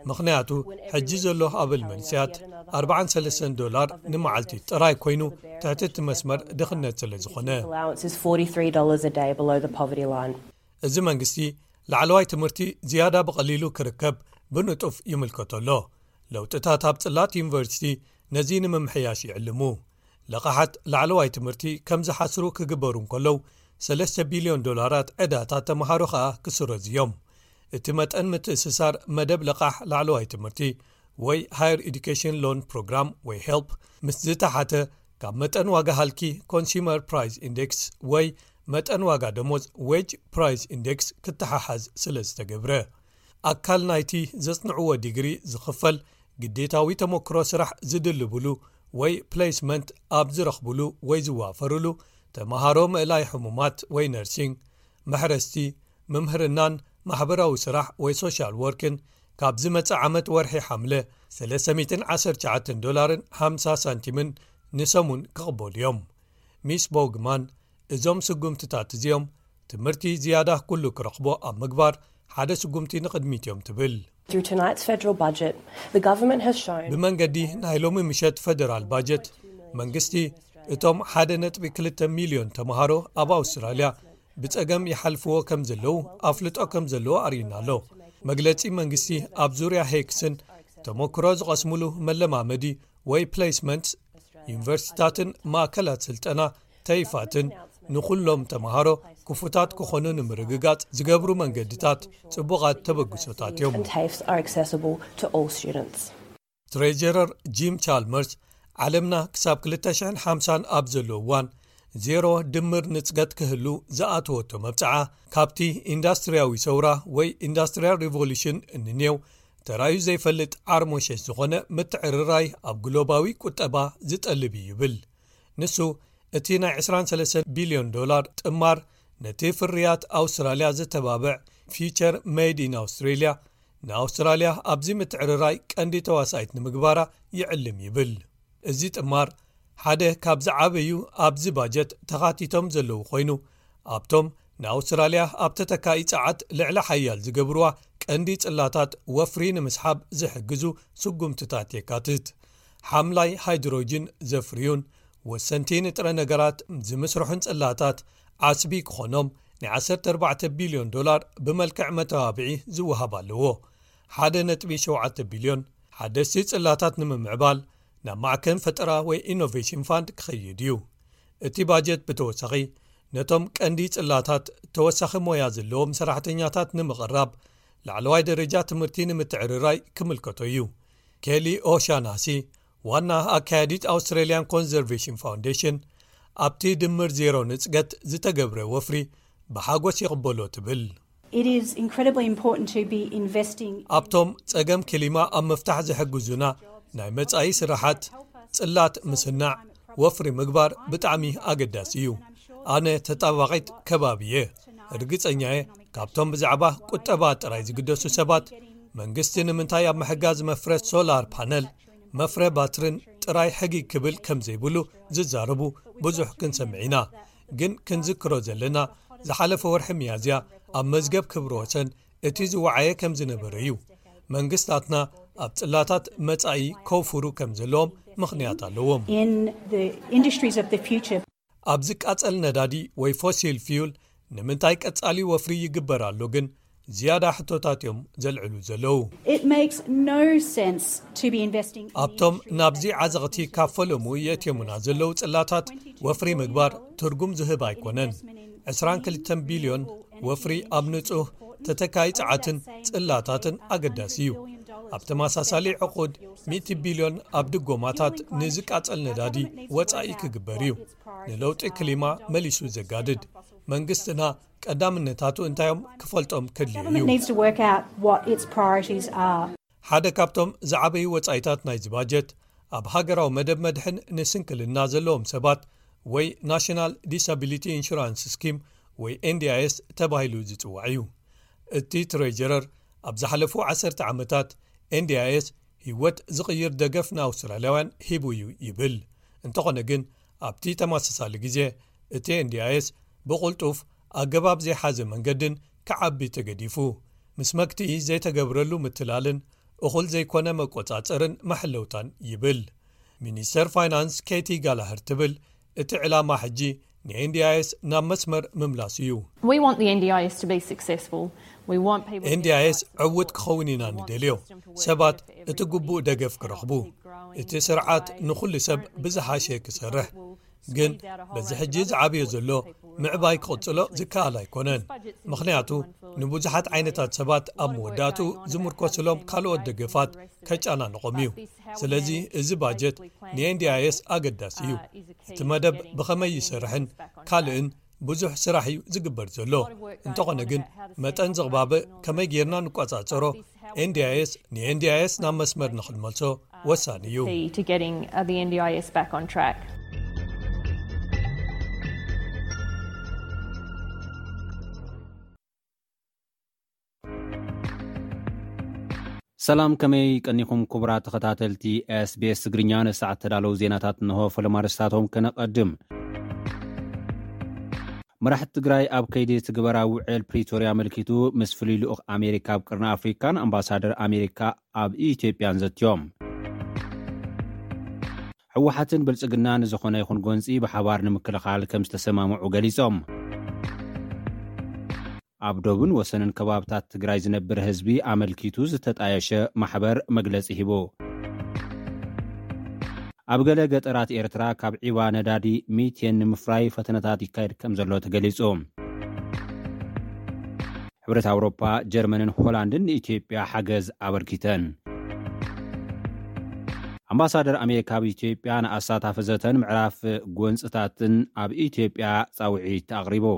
ምኽንያቱ ሕጂ ዘሎ ኣበል መንስያት ኣርባዓን ሰለስተን ዶላር ንመዓልቲ ጥራይ ኮይኑ ትሕቲ እቲ መስመር ድኽነት ስለ ዝኾነ። Allowance is forty-three dollars a day below the poverty line. እዚ መንግስቲ ላዕለዋይ ትምህርቲ ዝያዳ ብቐሊሉ ክርከብ ብንጡፍ ይምልከቶ ኣሎ። ለውጥታት ኣብ ጽላት ዩኒቨርሲቲ ነዚ ንምምሕያሽ ይዕልሙ። ለቓሓት ላዕለዋይ ትምህርቲ ከም ዝሓስሩ ክግበሩ እንከለዉ ሰለስተ ቢልዮን ዶላራት ዕዳታት ተምሃሮ ኸኣ ክስረዙ እዮም። እቲ መጠን ምትእስሳር መደብ ለቓሕ ላዕለዋይ ትምህርቲ ወይ Higher Education Loan Program ወይ ሄልፕ ምስ ዝተሓተ ካብ መጠን ዋጋ ሃልኪ ኮንሱመር ፕራይስ ኢንዴክስ ወይ መጠን ዋጋ ደሞዝ ዌጅ ፕራይስ ኢንዴክስ ክተሓሓዝ ስለ ዝተገብረ ኣካል ናይቲ ዘጽንዕዎ ዲግሪ ዝኽፈል ግዴታዊ ተመክሮ ስራሕ ዝድልብሉ ወይ ፕሌስመንት ኣብ ዝረኽብሉ ወይ ዝዋፈርሉ ተምሃሮ ምእላይ ሕሙማት ወይ ነርሲንግ፣ መሕረስቲ፣ ምምህርናን ማሕበራዊ ስራሕ ወይ ሶሻል ወርክን ካብ ዝመጽእ ዓመት ወርሒ ሓምለ ሰለስተ ሚእትን ዓሰርተ ትሽዓተን ዶላርን ሓምሳ ሳንቲምን ንሰሙን ክቕበሉ እዮም። ሚስ ቦግማን፣ እዞም ስጉምትታት እዚኦም ትምህርቲ ዝያዳ ኩሉ ክረኽቦ ኣብ ምግባር ሓደ ስጉምቲ ንቕድሚት እዮም ትብል። Through tonight's federal budget, the government has shown ብመንገዲ ናይ ሎሚ ምሸት ፈደራል ባጀት መንግስቲ እቶም ሓደ ነጥቢ ክልተ ሚልዮን ተምሃሮ ኣብ ኣውስትራልያ ብጸገም ይሓልፍዎ ከም ዘለዉ ኣፍልጦ ከም ዘለዎ ኣርእዩና ኣሎ። መግለጺ መንግስቲ ኣብ ዙርያ ሄክስን ተመክሮ ዝቐስሙሉ መለማመዲ ወይ ፕሌስመንት ዩኒቨርሲቲታትን ማእከላት ስልጠና ተይፋትን ንኹሎም ተምሃሮ ክፉታት ክኾኑ ንምርግጋጽ ዝገብሩ መንገድታት ጽቡቓት ተበግሶታት እዮም። And TAFEs are accessible to all students. ትሬጀረር ጂም ቻልመርስ ዓለምና ክሳብ ክልተ ሽሕን ሓምሳን ኣብ ዘሎ እዋን ዜሮ ድምር ንጽገት ክህሉ ዝኣተወቶ መብጽዓ ካብቲ ኢንዳስትሪያዊ ሰውራ ወይ ኢንዳስትሪያል ሪቮሉሽን እንኔው ተራዩ ዘይፈልጥ ዓርሞሸሽ ዝኾነ ምትዕርራይ ኣብ ግሎባዊ ቁጠባ ዝጠልብ እዩ ይብል። ንሱ እቲ ናይ ዕስራን ሰለስተን ቢልዮን ዶላር ጥማር ነቲ ፍርያት ኣውስትራልያ ዘተባብዕ ፊቸር ሜድ ኢን ኣውስትሬልያ ንኣውስትራልያ ኣብዚ ምትዕርራይ ቀንዲ ተዋሳኢት ንምግባራ ይዕልም ይብል። እዚ ጥማር ሓደ ካብ ዝዓበዩ ኣብዚ ባጀት ተኻቲቶም ዘለዉ ኮይኑ ኣብቶም ንኣውስትራልያ ኣብ ተተካኢ ጸዓት ልዕሊ ሓያል ዝገብርዋ ቀንዲ ጽላታት ወፍሪ ንምስሓብ ዝሕግዙ ስጉምትታት የካትት። ሓምላይ ሃይድሮጅን ዘፍርዩን ወሰንቲ ንጥረ ነገራት ዝምስርሑን ጽላታት ዓስቢ ክኾኖም ናይ ዓሰርተ ኣርባዕተ ቢልዮን ዶላር ብመልክዕ መተባብዒ ዝወሃብ ኣለዎ። ሓደ ነጥቢ ሸውዓተ ቢልዮን ሓደስቲ ጽላታት ንምምዕባል ናብ ማዕከን ፈጠራ ወይ ኢኖቬሽን ፋንድ ክኸይድ እዩ። እቲ ባጀት ብተወሳኺ ነቶም ቀንዲ ጽላታት ተወሳኺ ሞያ ዘለዎም ሰራሕተኛታት ንምቕራብ ላዕለዋይ ደረጃ ትምህርቲ ንምትዕርራይ ክምልከቶ እዩ። ኬሊ ኦሻናሲ ዋና ኣካያዲት ኣውስትራሊያን ኮንዘርቬሽን ፋውንዴሽን ኣብቲ ድምር ዜሮ ንጽገት ዝተገብረ ወፍሪ ብሓጎስ ይቕበሎ ትብል። It is incredibly important to be investing ኣብቶም ጸገም ክሊማ ኣብ ምፍታሕ ዝሕግዙና ናይ መጻኢ ስራሓት ጽላት ምስናዕ ወፍሪ ምግባር ብጣዕሚ ኣገዳሲ እዩ። ኣነ ተጣባቒት ከባቢ እየ። ርግጸኛ እየ ካብቶም ብዛዕባ ቁጠባ ጥራይ ዝግደሱ ሰባት መንግስቲ ንምንታይ ኣብ ምሕጋዝ መፍረ ሶላር ፓነል መፍረ ባትርን ጥራይ ሕጊ ክብል ከም ዘይብሉ ዝዛረቡ ብዙሕ ክንሰምዕ ኢና። ግን ክንዝክሮ ዘለና ዝሓለፈ ወርሒ ሚያዝያ ኣብ መዝገብ ክብሪ ወሰን እቲ ዝወዓየ ከም ዝነበረ እዩ። መንግስታትና ኣብ ጽላታት መጻኢ ከውፍሩ ከም ዘለዎም ምኽንያት ኣለዎም። In the industries of the future, ኣብ ዝቃጸል ነዳዲ ወይ ፎሲል ፊዩል ንምንታይ ቀጻሊ ወፍሪ ይግበር ኣሎ ግን ዝያዳ ሕቶታት እዮም ዘልዕሉ ዘለዉ። It makes no sense to be investing in ኣብቶም ናብዚ ዓዘቕቲ ካብ ፈለሙ የእትዮሙና ዘለዉ ጽላታት ወፍሪ ምግባር ትርጉም ዝህብ ኣይኮነን። ዕስራን ክልተን ቢልዮን ወፍሪ ኣብ ንጹህ ተተካይ ጸዓትን ጽላታትን ኣገዳሲ እዩ። ኣብ ተመሳሳሊ ዕቑድ ሚእቲ ቢልዮን ኣብ ድጎማታት ንዝቃጸል ነዳዲ ወጻኢ ክግበር እዩ። ንለውጢ ክሊማ መሊሱ ዘጋድድ መንግስትና ቀዳምነታቱ እንታዮም ክፈልጦም ከድልዩ እዩ። Government needs to work out what its priorities are. ሓደ ካብቶም ዝዓበዩ ወጻኢታት ናይዚ ባጀት ኣብ ሃገራዊ መደብ መድሕን ንስንክልና ዘለዎም ሰባት ወይ ናሽናል ዲሳቢሊቲ ኢንሹራንስ ስኪም ወይ ኤንዲኣይኤስ ተባሂሉ ዝጽዋዕ እዩ። እቲ ትሬጀረር ኣብ ዝሓለፉ ዓሰርተ ዓመታት ኤንዲኣይኤስ ህይወት ዝቕይር ደገፍ ንኣውስትራልያውያን ሂቡ እዩ ይብል። እንተኾነ ግን ኣብቲ ተመሳሳሊ ግዜ እቲ ኤንዲኣይኤስ ብቕልጡፍ ኣገባብ ዘይሓዘ መንገድን ክዓቢ ተገዲፉ፣ ምስ መግትኢ ዘይተገብረሉ ምትላልን እኹል ዘይኮነ መቆጻጸርን መሐለውታን ይብል። ሚኒስተር ፋይናንስ ኬቲ ጋላህር ትብል እቲ ዕላማ ሕጂ ንኤንዲኣይኤስ ናብ መስመር ምምላስ እዩ። We want the N D I S to be successful. We want people to ኤንዲኣይኤስ ዕውት ክኸውን ኢና ንደልዮ። ሰባት እቲ ግቡእ ደገፍ ክረኽቡ፣ እቲ ስርዓት ንኹሉ ሰብ ብዝሓሸ ክሰርሕ። ግን በዚ ሕጂ ዝዓብዮ ዘሎ ምዕባይ ክቕጽሎ ዝከኣል ኣይኮነን። ምኽንያቱ ንብዙሓት ዓይነታት ሰባት ኣብ መወዳእቱ ዝምርኮስሎም ካልኦት ደገፋት ከጨናንቖም እዩ። ስለዚ እዚ ባጀት ንኤንዲኣይኤስ ኣገዳሲ እዩ። እቲ መደብ ብኸመይ ይሰርሕን ካልእን ብዙሕ ስራሕ እዩ ዝግበር ዘሎ። እንተኾነ ግን መጠን ዝቕባበ ከመይ ጌርና ንቆጻጸሮ ኤንዲኣይኤስ ንኤንዲኣይኤስ ናብ መስመር ንኽንመልሶ ወሳኒ እዩ። Key to getting uh, the N D I S back on track. ሰላም፣ ከመይ ቀኒኹም ክቡራት ተኸታተልቲ ኤስቢኤስ ትግርኛ? ንሰዓት ተዳለዉ ዜናታት እንሆ። ፈለማ ርእስታቶም ከነቐድም። መራሕቲ ትግራይ ኣብ ከይዲ ትግበራ ውዕል ፕሪቶርያ ኣመልኪቱ ምስ ፍሉይ ልኡኽ ኣሜሪካ ኣብ ቅርኒ ኣፍሪካን ኣምባሳደር ኣሜሪካ ኣብ ኢትዮጵያን ዘትዮም። ህወሓትን ብልጽግናን ዝኾነ ይኹን ጎንፂ ብሓባር ንምክልኻል ከም ዝተሰማምዑ ገሊጾም። ኣብ ዶብን ወሰንን ከባብታት ትግራይ ዝነብር ህዝቢ ኣመልኪቱ ዝተጣየሸ ማሕበር መግለጺ ሂቡ። ኣብ ገለ ገጠራት ኤርትራ ካብ ዒባ ነዳዲ ሚቴን ንምፍራይ ፈተነታት ይካየድ ከም ዘሎ ተገሊጹ። ሕብረት ኣውሮፓ፣ ጀርመንን ሆላንድን ንኢትዮጵያ ሓገዝ ኣበርኪተን። ኣምባሳደር ኣሜሪካ ኣብ ኢትዮጵያ ንኣሳታፊ ዘተን ምዕራፍ ጎንፅታትን ኣብ ኢትዮጵያ ጻውዒት ኣቕሪቡ።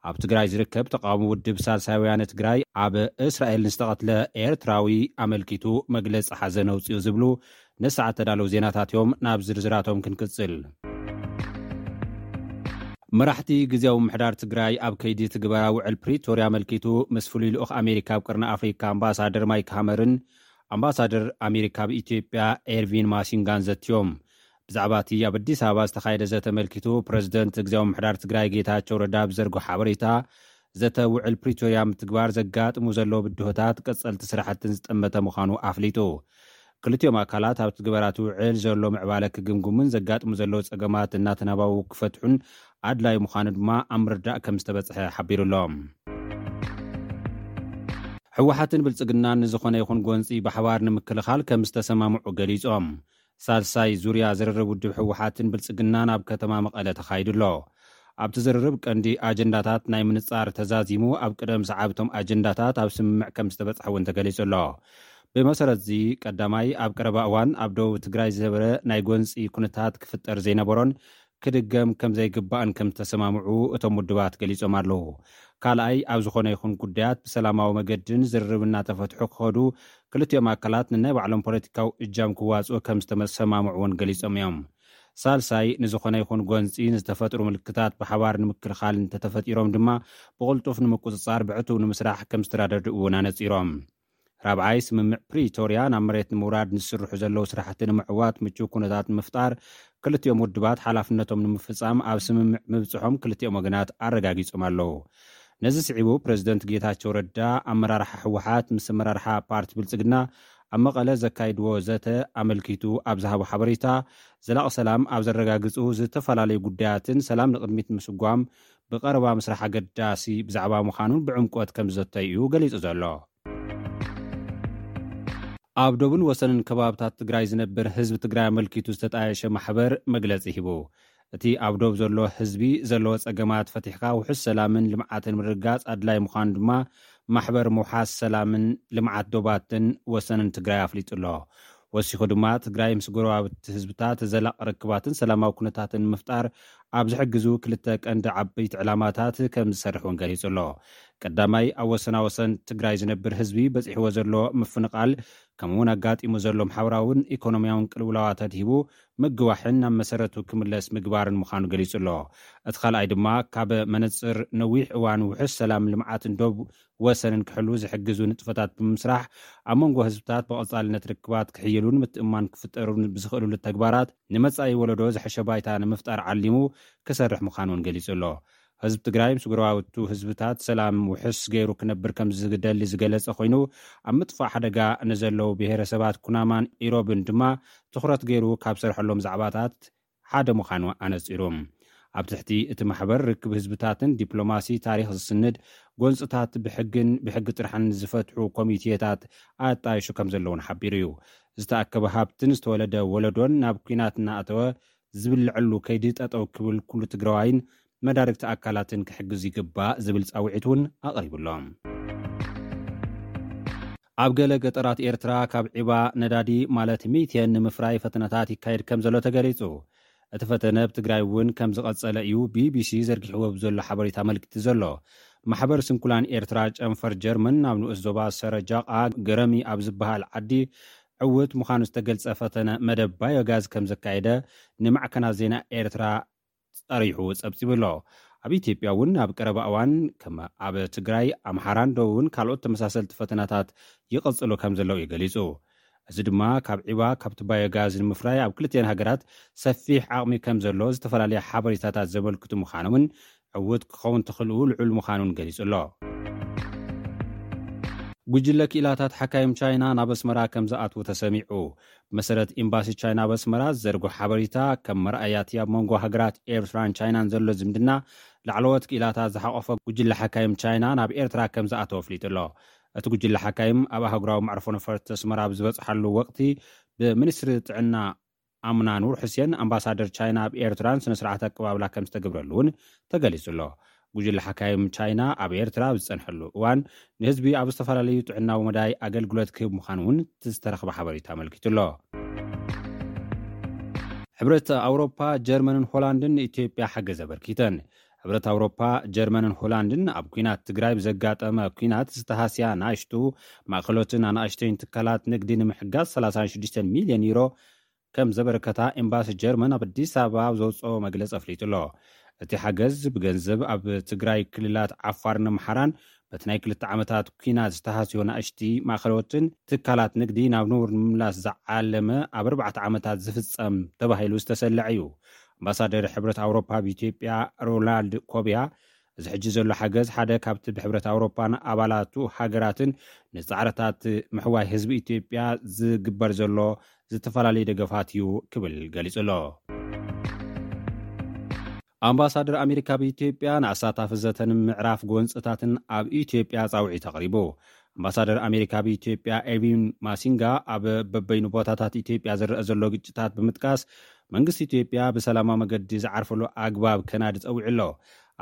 ኣብ ትግራይ ዝርከብ ተቃውሞ ውድብ ሳልሳይ ወያነ ትግራይ ኣብ እስራኤል ንዝተቐትለ ኤርትራዊ ኣመልኪቱ መግለፂ ሓዘን ኣውፅኡ ዝብሉ ንሰዓት ተዳለዉ ዜናታት እዮም። ናብ ዝርዝራቶም ክንቅፅል። መራሕቲ ግዜያዊ ምሕዳር ትግራይ ኣብ ከይዲ ትግበራ ውዕል ፕሪቶርያ ኣመልኪቱ ምስ ፍሉይ ልኡኽ ኣሜሪካ ኣብ ቅርኒ ኣፍሪካ ኣምባሳደር ማይክ ሃመርን ኣምባሳደር ኣሜሪካ ኣብ ኢትዮጵያ ኤርቪን ማሲንጋን ዘትዮም። ብዛዕባ እቲ ኣብ ኣዲስ ኣበባ ዝተኻየደ ዘተ ኣመልኪቱ ፕረዚደንት ግዜያዊ ምሕዳር ትግራይ ጌታቸው ረዳ ብዘርጎ ሓበሬታ፣ ዘተ ውዕል ፕሪቶርያ ምትግባር ዘጋጥሙ ዘለዉ ብድሆታት ቀጸልቲ ስራሕትን ዝጠመተ ምዃኑ ኣፍሊጡ። ክልቲኦም ኣካላት ኣብ ትግበራ እቲ ውዕል ዘሎ ምዕባለ ክግምግሙን ዘጋጥሙ ዘለዉ ጸገማት እናተናባቡ ክፈትሑን ኣድላዪ ምዃኑ ድማ ኣብ ምርዳእ ከም ዝተበጽሐ ሓቢሩ ኣሎ። ህወሓትን ብልጽግናን ንዝኾነ ይኹን ጎንጺ ብሓባር ንምክልኻል ከም ዝተሰማምዑ ገሊጾም። ሳልሳይ ዙርያ ዝርርብ ውድብ ህወሓትን ብልጽግናን ኣብ ከተማ መቐለ ተኻይዱ ኣሎ። ኣብቲ ዝርርብ ቀንዲ ኣጀንዳታት ናይ ምንጻር ተዛዚሙ፣ ኣብ ቅደም ሰዓብቶም ኣጀንዳታት ኣብ ስምምዕ ከም ዝተበጽሐ እውን ተገሊጹ ኣሎ። ብመሰረት እዚ ቀዳማይ ኣብ ቀረባ እዋን ኣብ ደቡብ ትግራይ ዝነበረ ናይ ጎንጺ ኩነታት ክፍጠር ዘይነበሮን ክድገም ከም ዘይግባእን ከም ዝተሰማምዑ እቶም ውድባት ገሊጾም ኣለዉ። ካልኣይ ኣብ ዝኾነ ይኹን ጉዳያት ብሰላማዊ መገድን ዝርርብ እናተፈትሑ ክኸዱ ክልቲኦም ኣካላት ንናይ ባዕሎም ፖለቲካዊ እጃም ክዋፅኡ ከም ዝተሰማምዑ እውን ገሊጾም እዮም። ሳልሳይ ንዝኾነ ይኹን ጎንፂ ንዝተፈጥሩ ምልክታት ብሓባር ንምክልኻል እንተተፈጢሮም ድማ ብቕልጡፍ ንምቁፅፃር ብዕቱብ ንምስራሕ ከም ዝተራደድኡ እውን ኣነፂሮም። ራብዓይ ስምምዕ ፕሪቶርያ ናብ መሬት ንምውራድ ንዝስርሑ ዘለዉ ስራሕቲ ንምዕዋት ምቹው ኩነታት ንምፍጣር ክልቲኦም ውድባት ሓላፍነቶም ንምፍፃም ኣብ ስምምዕ ምብፅሖም ክልቲኦም ወገናት ኣረጋጊፆም ኣለዉ። ነዚ ስዒቡ ፕረዚደንት ጌታቸው ረዳ ኣመራርሓ ህወሓት ምስ ኣመራርሓ ፓርቲ ብልፅግና ኣብ መቐለ ዘካይድዎ ዘተ ኣመልኪቱ ኣብ ዝሃቦ ሓበሬታ፣ ዘላቒ ሰላም ኣብ ዘረጋግጹ ዝተፈላለዩ ጉዳያትን ሰላም ንቕድሚት ምስጓም ብቐረባ ምስራሕ ኣገዳሲ ብዛዕባ ምዃኑን ብዕምቆት ከም ዝዘተዩ እዩ ገሊጹ ዘሎ። ኣብ ዶብን ወሰንን ከባብታት ትግራይ ዝነብር ህዝቢ ትግራይ ኣመልኪቱ ዝተጣየሸ ማሕበር መግለጺ ሂቡ። እቲ ኣብ ዶብ ዘሎ ህዝቢ ዘለዎ ጸገማት ፈቲሕካ ውሑስ ሰላምን ልምዓትን ምርግጋጽ ኣድላይ ምዃኑ ድማ ማሕበር ምውሓስ ሰላምን ልምዓት ዶባትን ወሰንን ትግራይ ኣፍሊጡ ኣሎ። ወሲኹ ድማ ትግራይ ምስ ጎረባብቲ ህዝብታት ዘላቕ ርክባትን ሰላማዊ ኩነታትን ንምፍጣር ኣብ ዝሕግዙ ክልተ ቀንዲ ዓበይቲ ዕላማታት ከም ዝሰርሕ እውን ገሊጹ ኣሎ። ቀዳማይ ኣብ ወሰናወሰን ትግራይ ዝነብር ህዝቢ በጺሕዎ ዘሎ ምፍንቓል ከምኡውን ኣጋጢሙ ዘሎ ማሕበራውን ኢኮኖሚያውን ቅልውላዋት ኣድሂቡ ምግዋሕን ናብ መሰረቱ ክምለስ ምግባርን ምዃኑ ገሊጹ ኣሎ። እቲ ካልኣይ ድማ ካብ መነጽር ነዊሕ እዋን ውሑስ ሰላም ልምዓትን ዶብ ወሰንን ክሕሉ ዝሕግዙ ንጥፈታት ብምስራሕ ኣብ መንጎ ህዝብታት ብቐጻልነት ርክባት ክሕይሉን ምትእማን ክፍጠሩን ብዝኽእሉሉ ተግባራት ንመጻኢ ወለዶ ዝሐሸ ባይታ ንምፍጣር ዓሊሙ ክሰርሕ ምዃኑ እውን ገሊጹ ኣሎ። ህዝቢ ትግራይ ምስ ጎረባብቱ ህዝብታት ሰላም ውሕስ ገይሩ ክነብር ከም ዝደሊ ዝገለጸ ኮይኑ፣ ኣብ ምጥፋእ ሓደጋ ንዘለዉ ብሄረሰባት ኩናማን ኢሮብን ድማ ትኹረት ገይሩ ካብ ሰርሐሎም ዛዕባታት ሓደ ምዃኑ ኣነጺሩ። ኣብ ትሕቲ እቲ ማሕበር ርክብ ህዝብታትን ዲፕሎማሲ ታሪኽ ዝስንድ ጎንፅታት ብሕግን ብሕጊ ጥርሓን ዝፈትሑ ኮሚቴታት ኣጣይሹ ከም ዘለውን ሓቢሩ እዩ። ዝተኣከበ ሃብትን ዝተወለደ ወለዶን ናብ ኲናት እናኣተወ ዝብልዐሉ ከይዲ ጠጠው ክብል ኩሉ ትግራዋይን መዳርግቲ ኣካላትን ክሕግዝ ይግባእ ዝብል ፃውዒት እውን ኣቕሪቡሎም። ኣብ ገለ ገጠራት ኤርትራ ካብ ዒባ ነዳዲ ማለት ሚቴን ንምፍራይ ፈተነታት ይካየድ ከም ዘሎ ተገሊጹ። እቲ ፈተነ ኣብ ትግራይ እውን ከም ዝቐጸለ እዩ ቢቢሲ ዘርጊሕዎ ብዘሎ ሓበሬታ ኣመልኪቱ ዘሎ። ማሕበር ስንኩላን ኤርትራ ጨንፈር ጀርመን ናብ ንኡስ ዞባ ሰረጃቓ ገረሚ ኣብ ዝበሃል ዓዲ ዕውት ምዃኑ ዝተገልጸ ፈተነ መደብ ባዮጋዝ ከም ዘካየደ ንማዕከናት ዜና ኤርትራ ጸሪሑ ጸብጺቡ ኣሎ። ኣብ ኢትዮጵያ እውን ኣብ ቀረባ እዋን ከም ኣብ ትግራይ፣ ኣምሓራን ደቡብን ካልኦት ተመሳሰልቲ ፈተናታት ይቕጽሉ ከም ዘለዉ እዩ ገሊጹ። እዚ ድማ ካብ ዒባ ካብቲ ባዮጋዝ ንምፍራይ ኣብ ክልቲኤን ሃገራት ሰፊሕ ዓቕሚ ከም ዘሎ ዝተፈላለያ ሓበሬታታት ዘመልክቱ ምዃኖምን ዕውት ክኸውን ተኽእልኡ ልዑል ምዃኑን ገሊጹ ኣሎ። ጉጅለ ክኢላታት ሓካይም ቻይና ናብ ኣስመራ ከም ዝኣትዉ ተሰሚዑ። ብመሰረት ኤምባሲ ቻይና ኣብ ኣስመራ ዝዘርግሖ ሓበሬታ፣ ከም መርኣያ እቲ ኣብ መንጎ ሃገራት ኤርትራን ቻይናን ዘሎ ዝምድና ላዕለዎት ክኢላታት ዝሓቖፈ ጉጅለ ሓካይም ቻይና ናብ ኤርትራ ከም ዝኣተወ ኣፍሊጡ ኣሎ። እቲ ጉጅለ ሓካይም ኣብ ኣህጉራዊ መዕርፎ ነፈርቲ ኣስመራ ኣብ ዝበጽሓሉ ወቕቲ ብሚኒስትሪ ጥዕና ኣምና ኑር ሑሴን ኣምባሳደር ቻይና ኣብ ኤርትራን ስነ ስርዓት ኣቀባብላ ከም ዝተገብረሉ እውን ተገሊጹ ኣሎ። ጉጅለ ሓካይም ቻይና ኣብ ኤርትራ ኣብ ዝጸንሐሉ እዋን ንህዝቢ ኣብ ዝተፈላለዩ ጥዕናዊ መዳይ ኣገልግሎት ክህብ ምዃኑ እውን እቲ ዝተረኽበ ሓበሬታ ኣመልኪቱ ኣሎ። ሕብረት ኣውሮፓ፣ ጀርመንን ሆላንድን ንኢትዮጵያ ሓገዝ ኣበርኪተን። ሕብረት ኣውሮፓ፣ ጀርመንን ሆላንድን ኣብ ኲናት ትግራይ ብዘጋጠመ ኲናት ዝተሃስያ ናእሽቱ ማእኸሎትን ኣናእሽተይን ትካላት ንግዲ ንምሕጋዝ ሰላሳ ሽዱሽተ ሚልዮን ዩሮ ከም ዘበረከታ ኤምባሲ ጀርመን ኣብ ኣዲስ ኣበባ ኣብ ዘውፅኦ መግለፂ ኣፍሊጡ ኣሎ። እቲ ሓገዝ ብገንዘብ ኣብ ትግራይ ክልላት ዓፋርን ኣምሓራን በቲ ናይ ክልተ ዓመታት ኲናት ዝተሃስዮ ናእሽቲ ማእኸሎትን ትካላት ንግዲ ናብ ንቡር ንምምላስ ዝዓለመ ኣብ ኣርባዕተ ዓመታት ዝፍፀም ተባሂሉ ዝተሰለዐ እዩ። ኣምባሳደር ሕብረት ኣውሮፓ ኣብ ኢትዮጵያ ሮናልድ ኮቢያ፣ እዚ ሕጂ ዘሎ ሓገዝ ሓደ ካብቲ ብሕብረት ኣውሮፓን ኣባላቱ ሃገራትን ንጻዕርታት ምሕዋይ ህዝቢ ኢትዮጵያ ዝግበር ዘሎ ዝተፈላለዩ ደገፋት እዩ ክብል ገሊጹ ኣሎ። ኣምባሳደር ኣሜሪካ ኣብ ኢትዮጵያ ንኣሳታፊ ዘተን ምዕራፍ ጎንፅታትን ኣብ ኢትዮጵያ ጻውዒት ኣቕሪቡ። ኣምባሳደር ኣሜሪካ ኣብ ኢትዮጵያ ኤርቪን ማሲንጋ ኣብ በበይኑ ቦታታት ኢትዮጵያ ዝረአ ዘሎ ግጭታት ብምጥቃስ መንግስቲ ኢትዮጵያ ብሰላማዊ መገዲ ዝዓርፈሉ ኣግባብ ከናዲ ጸዊዑ ኣሎ።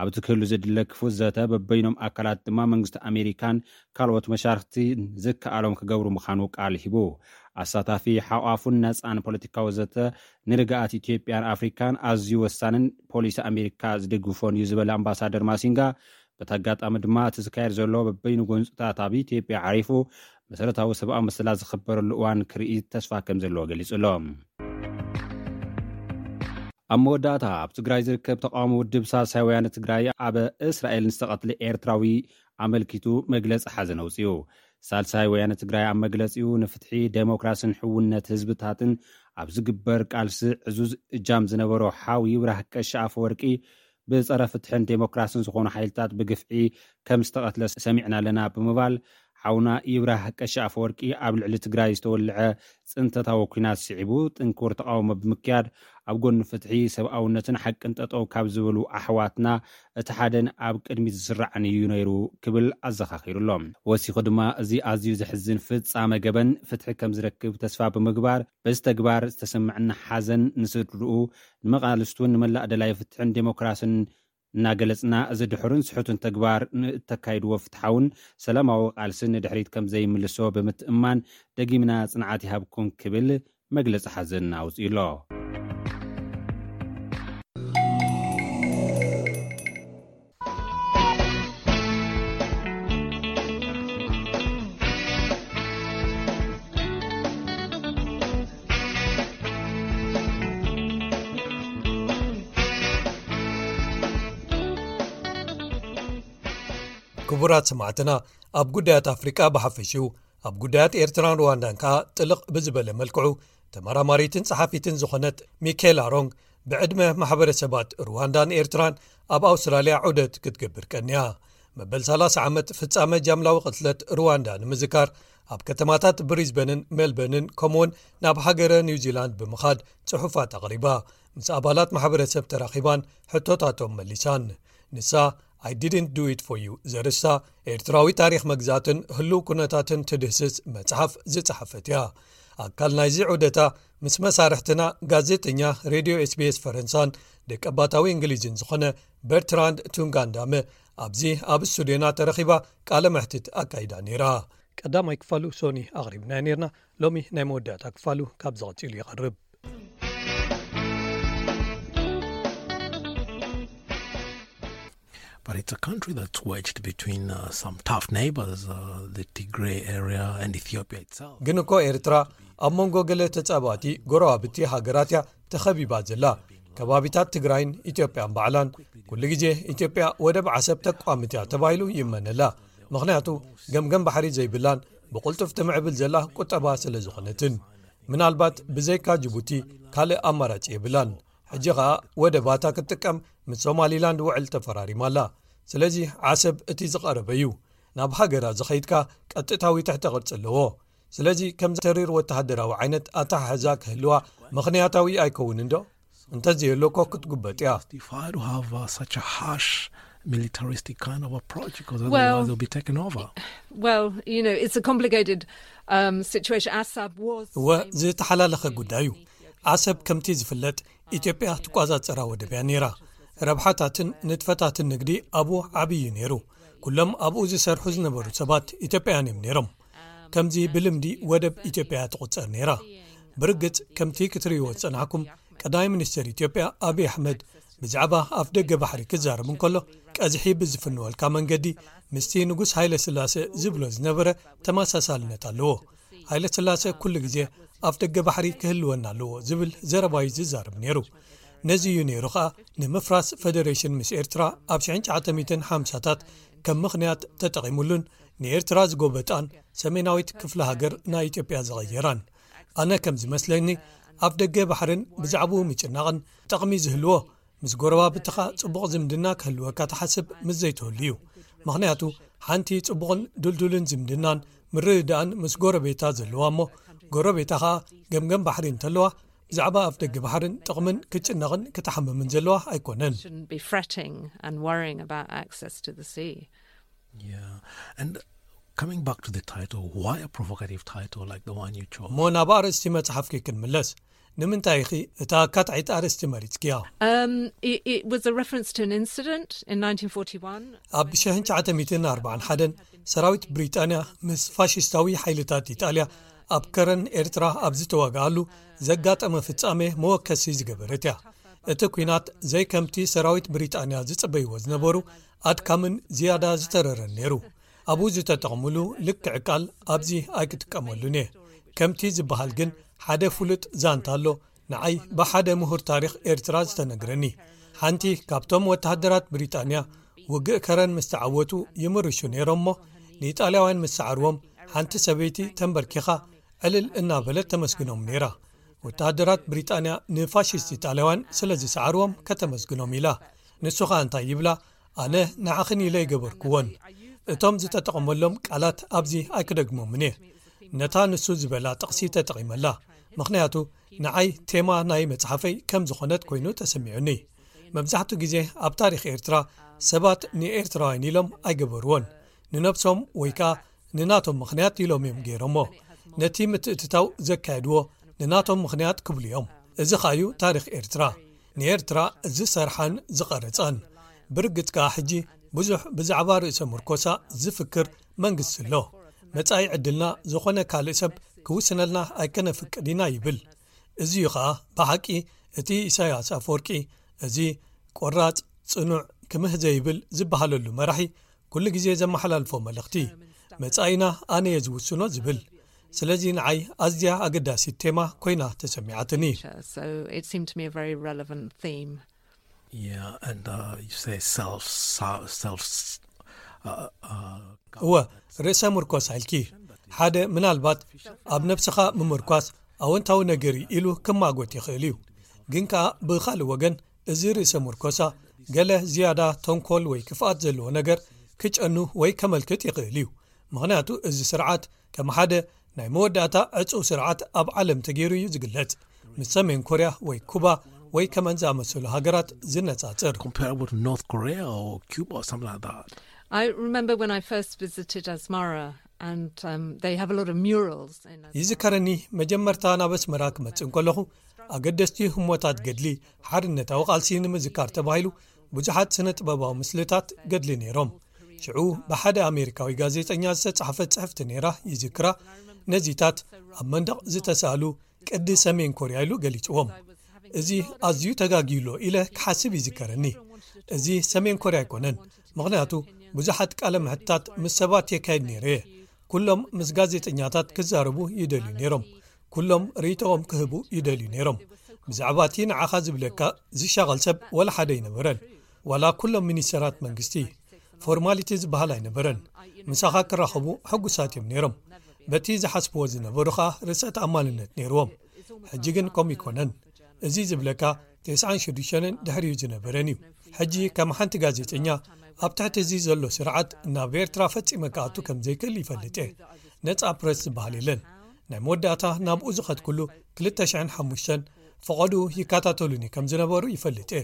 ኣብቲ ክህሉ ዘድለ ክፉት ዘተ በበይኖም ኣካላት ድማ መንግስቲ ኣሜሪካን ካልኦት መሻርክቲ ዝከኣሎም ክገብሩ ምዃኑ ቃል ሂቡ። ኣሳታፊ ሓቋፉን ነጻን ፖለቲካዊ ዘተ ንርግኣት ኢትዮጵያን ኣፍሪካን ኣዝዩ ወሳንን ፖሊሲ ኣሜሪካ ዝድግፎን እዩ ዝበለ ኣምባሳደር ማሲንጋ፣ በቲ ኣጋጣሚ ድማ እቲ ዝካየድ ዘሎ በበይኑ ጎንፅታት ኣብ ኢትዮጵያ ዓሪፉ መሰረታዊ ሰብኣዊ መሰላት ዝኽበረሉ እዋን ክርኢ ተስፋ ከም ዘለዎ ገሊጹ ኣሎ። ኣብ መወዳእታ ኣብ ትግራይ ዝርከብ ተቃውሞ ውድብ ሳልሳይ ወያነ ትግራይ ኣብ እስራኤል ንዝተቐትለ ኤርትራዊ ኣመልኪቱ መግለጺ ሓዘን ኣውጺኡ። ሳልሳይ ወያነ ትግራይ ኣብ መግለጺኡ ንፍትሒ፣ ዴሞክራስን ሕውነት ህዝብታትን ኣብ ዝግበር ቃልሲ ዕዙዝ እጃም ዝነበሮ ሓው ይብራህ ቀሺ ኣፈወርቂ ብጸረ ፍትሕን ዴሞክራስን ዝኾኑ ሓይልታት ብግፍዒ ከም ዝተቐትለ ሰሚዕና ኣለና ብምባል ዓውና ይብራህ ቀሺ ኣፈወርቂ ኣብ ልዕሊ ትግራይ ዝተወልዐ ጽንተታዊ ኲናት ስዒቡ ጥንኩር ተቓውሞ ብምክያድ ኣብ ጎኒ ፍትሒ፣ ሰብኣውነትን ሓቅን ጠጠው ካብ ዝበሉ ኣሕዋትና እቲ ሓደን ኣብ ቅድሚት ዝስራዕን እዩ ነይሩ ክብል ኣዘኻኺሩ ኣሎ። ወሲኹ ድማ እዚ ኣዝዩ ዘሕዝን ፍጻመ ገበን ፍትሒ ከም ዝረክብ ተስፋ ብምግባር በዚ ተግባር ዝተሰምዐና ሓዘን ንስድርኡ፣ ንመቓልስቱን ንመላእ ደላይ ፍትሕን ዴሞክራስን እናገለጽና፣ እዚ ድሑርን ስሑትን ተግባር ንእተካይድዎ ፍትሓውን ሰላማዊ ቃልሲ ንድሕሪት ከም ዘይምልሶ ብምትእምማን፣ ደጊምና ጽንዓት ይሃብኩም ክብል መግለጺ ሓዘን ኣውጺኡ ኣሎ። ክቡራት ሰማዕትና፣ ኣብ ጉዳያት ኣፍሪቃ ብሓፈሽኡ፣ ኣብ ጉዳያት ኤርትራን ሩዋንዳን ከኣ ጥልቕ ብዝበለ መልክዑ፣ ተመራማሪትን ጸሓፊትን ዝኾነት ሚካኤላ ሮንግ፣ ብዕድመ ማሕበረሰባት ሩዋንዳን ኤርትራን ኣብ ኣውስትራልያ ዑደት ክትገብር ቀንያ። መበል ሰላሳ ዓመት ፍጻመ ጃምላዊ ቅትለት ሩዋንዳ ንምዝካር፣ ኣብ ከተማታት ብሪዝበንን ሜልበርንን፣ ከምኡውን ናብ ሃገረ ኒውዚላንድ ብምኻድ ጽሑፋት ኣቕሪባ፣ ምስ ኣባላት ማሕበረሰብ ተራኺባን ሕቶታቶም መሊሳን። ንሳ፣ "I didn't do it for you" ዘርእስታ ኤርትራዊ ታሪኽ መግዛእትን ህሉው ኩነታትን ትድህስስ መጽሓፍ ዝጸሓፈት እያ። ኣካል ናይዚ ዑደታ፣ ምስ መሳርሕትና፣ ጋዜጠኛ ሬድዮ ኤስቢኤስ ፈረንሳን ደቀባታዊ እንግሊዝን ዝኾነ በርትራንድ ቱንጋንዳመ፣ ኣብዚ ኣብ ስቱድዮና ተረኺባ ቃለ መሕትት ኣካይዳ ነይራ። ቀዳማይ ክፋሉ ሶኒ ኣቕሪብናዮ ነይርና። ሎሚ ናይ መወዳእታ ክፋሉ ካብዚ ቀጺሉ ይቐርብ። But it's a country that's wedged between uh, some tough neighbors, uh, the Tigray area and Ethiopia itself. ግን እኮ ኤርትራ ኣብ መንጎ ገለ ተጻባእቲ ጎረባብቲ ሃገራት እያ ተኸቢባ ዘላ። ከባቢታት ትግራይን ኢትዮጵያን ባዕላን ኩሉ ግዜ ኢትዮጵያ ወደብ ዓሰብ ተቋምት እያ ተባሂሉ ይመነላ። ምኽንያቱ ገምገም ባሕሪ ዘይብላን ብቕልጡፍ ትምዕብል ዘላ ቁጠባ ስለ ዝኾነትን። ምናልባት ብዘይካ ጅቡቲ ካልእ ኣማራጺ የብላን። ሕጂ ኸኣ ወደባታ ክትጥቀም ምስ ሶማሊላንድ ውዕል ተፈራሪማ ኣላ። ስለዚ ዓሰብ እቲ ዝቐረበ እዩ። ናብ ሃገራ ዝኸይድካ ቀጥታዊ ትሕተ ቅርጺ ኣለዎ። ስለዚ ከምዚ ተሪር ወተሃደራዊ ዓይነት ኣተሓሕዛ ክህልዋ ምኽንያታዊ ኣይከውንን ዶ? እንተዘየሎ እኮ ክትጉበጥ እያ። Justify to have uh, such a harsh militaristic kind of approach because Well, otherwise they'll be taken over. Well, you know, it's a complicated um, situation. Assab was እወ፣ ዝተሓላለኸ ጉዳይ እዩ። ዓሰብ ከምቲ ዝፍለጥ ኢትዮጵያ ትቋጻጸራ ወደብ እያ ነይራ። ረብሓታትን ንጥፈታትን ንግዲ ኣብኡ ዓብዪ እዩ ነይሩ። ኩሎም ኣብኡ ዝሰርሑ ዝነበሩ ሰባት ኢትዮጵያውያን እዮም ነይሮም። ከምዚ ብልምዲ ወደብ ኢትዮጵያ እያ ትቑጸር ነይራ። ብርግጽ ከምቲ ክትርእይዎ ዝጸናሕኩም ቀዳማይ ሚኒስትር ኢትዮጵያ ኣብይ ኣሕመድ ብዛዕባ ኣፍ ደገ ባሕሪ ክዛረብ እንከሎ ቀዝሒ ብዝፍንወልካ መንገዲ ምስቲ ንጉስ ሃይለ ስላሴ ዝብሎ ዝነበረ ተመሳሳልነት ኣለዎ። ሃይለ ስላሴ ኩሉ ግዜ ኣፍ ደገ ባሕሪ ክህልወና ኣለዎ ዝብል ዘረባዩ ዝዛረብ ነይሩ። ነዚ እዩ ነይሩ ኸኣ ንምፍራስ ፈደሬሽን ምስ ኤርትራ ኣብ ሽሕን ትሽዓተ ሚእትን ሓምሳታት ከም ምኽንያት ተጠቒሙሉን ንኤርትራ ዝጎበጣን ሰሜናዊት ክፍለ ሃገር ናይ ኢትዮጵያ ዝቐየራን። ኣነ ከም ዝመስለኒ ኣፍ ደገ ባሕርን ብዛዕባኡ ምጭናቕን ጠቕሚ ዝህልዎ ምስ ጎረባብትኻ ጽቡቕ ዝምድና ክህልወካ ትሓስብ ምስ ዘይትህሉ እዩ። ምኽንያቱ ሓንቲ ጽቡቕን ድልዱልን ዝምድናን ምርድዳእን ምስ ጎረቤታ ዘለዋ እሞ ጎረቤታ ኸኣ ገምገም ባሕሪ እንተለዋ ብዛዕባ ኣፍ ደገ ባሕርን ጥቕምን ክትጭነቕን ክትሓምምን ዘለዋ ኣይኮነን። Shouldn't be fretting and worrying about access to the sea. Yeah. And coming back to the title, why a provocative title like the one you chose? እሞ ናብ ኣርእስቲ መጽሓፍኪ ክንምለስ። ንምንታይ ኢኺ እታ ኣካታዒት ኣርእስቲ መሪጽክያ? Um, it, it was a reference to an incident in nineteen forty-one. ኣብ ሽሕን ትሽዓተ ሚእትን ኣርባዓን ሓደን ሰራዊት ብሪጣንያ ምስ ፋሽስታዊ ሓይልታት ኢጣልያ ኣብ ከረን ኤርትራ ኣብ ዝተዋግኣሉ ዘጋጠመ ፍጻሜ መወከሲ ዝገበረት እያ። እቲ ኲናት ዘይከምቲ ሰራዊት ብሪጣንያ ዝጽበይዎ ዝነበሩ ኣድካምን ዝያዳ ዝተረረን ነይሩ። ኣብኡ ዝተጠቕምሉ ልክዕ ቃል ኣብዚ ኣይክጥቀመሉን እየ። ከምቲ ዝበሃል ግን ሓደ ፍሉጥ ዛንታ ኣሎ፣ ንዓይ ብሓደ ምሁር ታሪኽ ኤርትራ ዝተነግረኒ። ሓንቲ ካብቶም ወተሃደራት ብሪጣንያ ውግእ ከረን ምስ ተዓወቱ ይምርሹ ነይሮም እሞ ንኢጣልያውያን ምስ ሰዓርዎም ሓንቲ ሰበይቲ ተንበርኪኻ ዕልል እናበለት ተመስግኖም ነይራ። ወተሃደራት ብሪጣንያ ንፋሽስት ኢጣልያውያን ስለ ዝሰዓርዎም ከተመስግኖም ኢላ። ንሱ ኸኣ እንታይ ይብላ? ኣነ ንዓኽን ኢለ ይገበርክዎን። እቶም ዝተጠቐመሎም ቃላት ኣብዚ ኣይክደግሞምን እየ። ነታ ንሱ ዝበላ ጥቕሲ ተጠቒመላ፣ ምኽንያቱ ንዓይ ቴማ ናይ መጽሓፈይ ከም ዝኾነት ኮይኑ ተሰሚዑኒ። መብዛሕትኡ ግዜ ኣብ ታሪኽ ኤርትራ ሰባት ንኤርትራውያን ኢሎም ኣይገበርዎን። ንነብሶም ወይ ከኣ ንናቶም ምኽንያት ኢሎም እዮም ገይሮሞ። ነቲ ምትእትታው ዘካየድዎ ንናቶም ምኽንያት ክብሉ እዮም። እዚ ከኣዩ ታሪኽ ኤርትራ፣ ንኤርትራ ዝሰርሓን ዝቐረጻን። ብርግጽ ከኣ ሕጂ ብዙሕ ብዛዕባ ርእሰ ምርኮሳ ዝፍክር መንግስቲ ኣሎ። መጻኢ ዕድልና ዝኾነ ካልእ ሰብ ክውስነልና ኣይከነፍቅድ ኢና ይብል። እዚዩ ከኣ ብሓቂ እቲ ኢሳያስ ኣፈወርቂ፣ እዚ ቆራጽ፣ ጽኑዕ፣ ክምህ ዘይብል ዝበሃለሉ መራሒ ኩሉ ግዜ ዘመሓላልፎ መልእኽቲ። መጻኢና ኣነ እየ ዝውስኖ ዝብል። ስለዚ ንዓይ ኣዝያ ኣገዳሲት ቴማ ኮይና ተሰሚዓትኒ። So it seemed to me a very relevant theme. Yeah, and uh, you say self, self. Uh, uh, እወ፣ ርእሰ ምርኮሳ ኢልኪ። ሓደ ምናልባት ኣብ ነብስኻ ምምርኳስ ኣወንታዊ ነገር እዩ ኢሉ ክማጎት ይኽእል እዩ። ግን ከኣ ብኻልእ ወገን፣ እዚ ርእሰ ምርኮሳ ገለ ዝያዳ ተንኮል ወይ ክፍኣት ዘለዎ ነገር ክጨኑ ወይ ከመልክት ይኽእል እዩ። ምኽንያቱ እዚ ስርዓት ከም ሓደ ናይ መወዳእታ ዕጹው ስርዓት ኣብ ዓለም ተገይሩ እዩ ዝግለጽ፣ ምስ ሰሜን ኮርያ ወይ ኩባ ወይ ከመን ዝኣመሰሉ ሃገራት ዝነጻጽር። Comparable to North Korea or Cuba or something like that. I remember when I first visited Asmara, and um, they have a lot of murals. In Asmara. ይዝከረኒ፣ መጀመርታ ናብ ኣስመራ ክመጽእ እንከለኹ፣ ኣገደስቲ ህሞታት ገድሊ ሓርነታዊ ቃልሲ ንምዝካር ተባሂሉ ብዙሓት ስነ ጥበባዊ ምስልታት ገድሊ ነይሮም። ሽዑ ብሓደ ኣሜሪካዊ ጋዜጠኛ ዝተጻሕፈት ጽሕፍቲ ነይራ ይዝክራ። ነዚታት ኣብ መንደቕ ዝተሳእሉ ቅዲ ሰሜን ኮርያ ኢሉ ገሊጽዎም። እዚ ኣዝዩ ተጋግዩሎ ኢለ ክሓስብ ይዝከረኒ። እዚ ሰሜን ኮርያ ኣይኮነን፣ ምኽንያቱ ብዙሓት ቃለ ምሕታት ምስ ሰባት የካይድ ነይረ እየ። ኩሎም ምስ ጋዜጠኛታት ክዛረቡ ይደልዩ ነይሮም። ኩሎም ርእይቶኦም ክህቡ ይደልዩ ነይሮም። ብዛዕባ እቲ ንዓኻ ዝብለካ ዝሻቐል ሰብ ወላ ሓደ ኣይነበረን። ዋላ ኩሎም ሚኒስተራት መንግስቲ፣ ፎርማሊቲ ዝበሃል ኣይነበረን። ምሳኻ ክራኸቡ ሕጉሳት እዮም ነይሮም። በቲ ዝሓስብዎ ዝነበሩ ኸኣ ርእሰ ተኣማንነት ነይርዎም። ሕጂ ግን ከምኡ ኣይኮነን። እዚ ዝብለካ ተስዓን ሽዱሽተን ድሕሪኡ ዝነበረን እዩ። ሕጂ ከም ሓንቲ ጋዜጠኛ ኣብ ትሕቲ እዚ ዘሎ ስርዓት ናብ ኤርትራ ፈጺመ ክኣቱ ከም ዘይክእል ይፈልጥ እየ። ነጻ ፕረስ ዝበሃል የለን። ናይ መወዳእታ ናብኡ ዝኸድኩሉ ክልተ ሽሕን ሓሙሽተን ፈቐድኡ ይከታተሉኒ ከም ዝነበሩ ይፈልጥ እየ።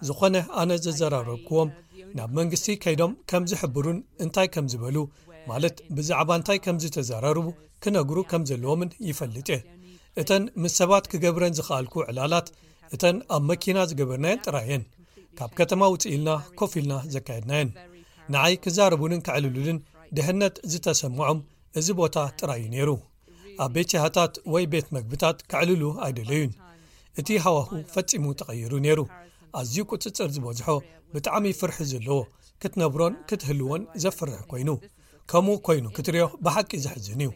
ዝኾነ ኣነ ዘዘራረብክዎም ናብ መንግስቲ ከይዶም ከም ዝሕብሩን እንታይ ከም ዝበሉ፣ ማለት ብዛዕባ እንታይ ከም ዝተዘራረቡ ክነግሩ ከም ዘለዎምን ይፈልጥ እየ። እተን ምስ ሰባት ክገብረን ዝኸኣልኩ ዕላላት እተን ኣብ መኪና ዝገበርናየን ጥራይ እየን። ካብ ከተማ ውፅእ ኢልና ኮፍ ኢልና ዘካየድናየን። ንዓይ ክዛረቡንን ከዕልሉልን ድሕነት ዝተሰምዖም እዚ ቦታ ጥራይ እዩ ነይሩ። ኣብ ቤት ሻህታት ወይ ቤት መግብታት ከዕልሉ ኣይደለዩን። እቲ ሃዋሁ ፈጺሙ ተቐይሩ ነይሩ። ኣዝዩ ቁጽጽር ዝበዝሖ፣ ብጣዕሚ ፍርሒ ዘለዎ፣ ክትነብሮን ክትህልዎን ዘፍርሕ ኮይኑ። ከምኡ ኮይኑ ክትሪኦ ብሓቂ ዘሕዝን እዩ።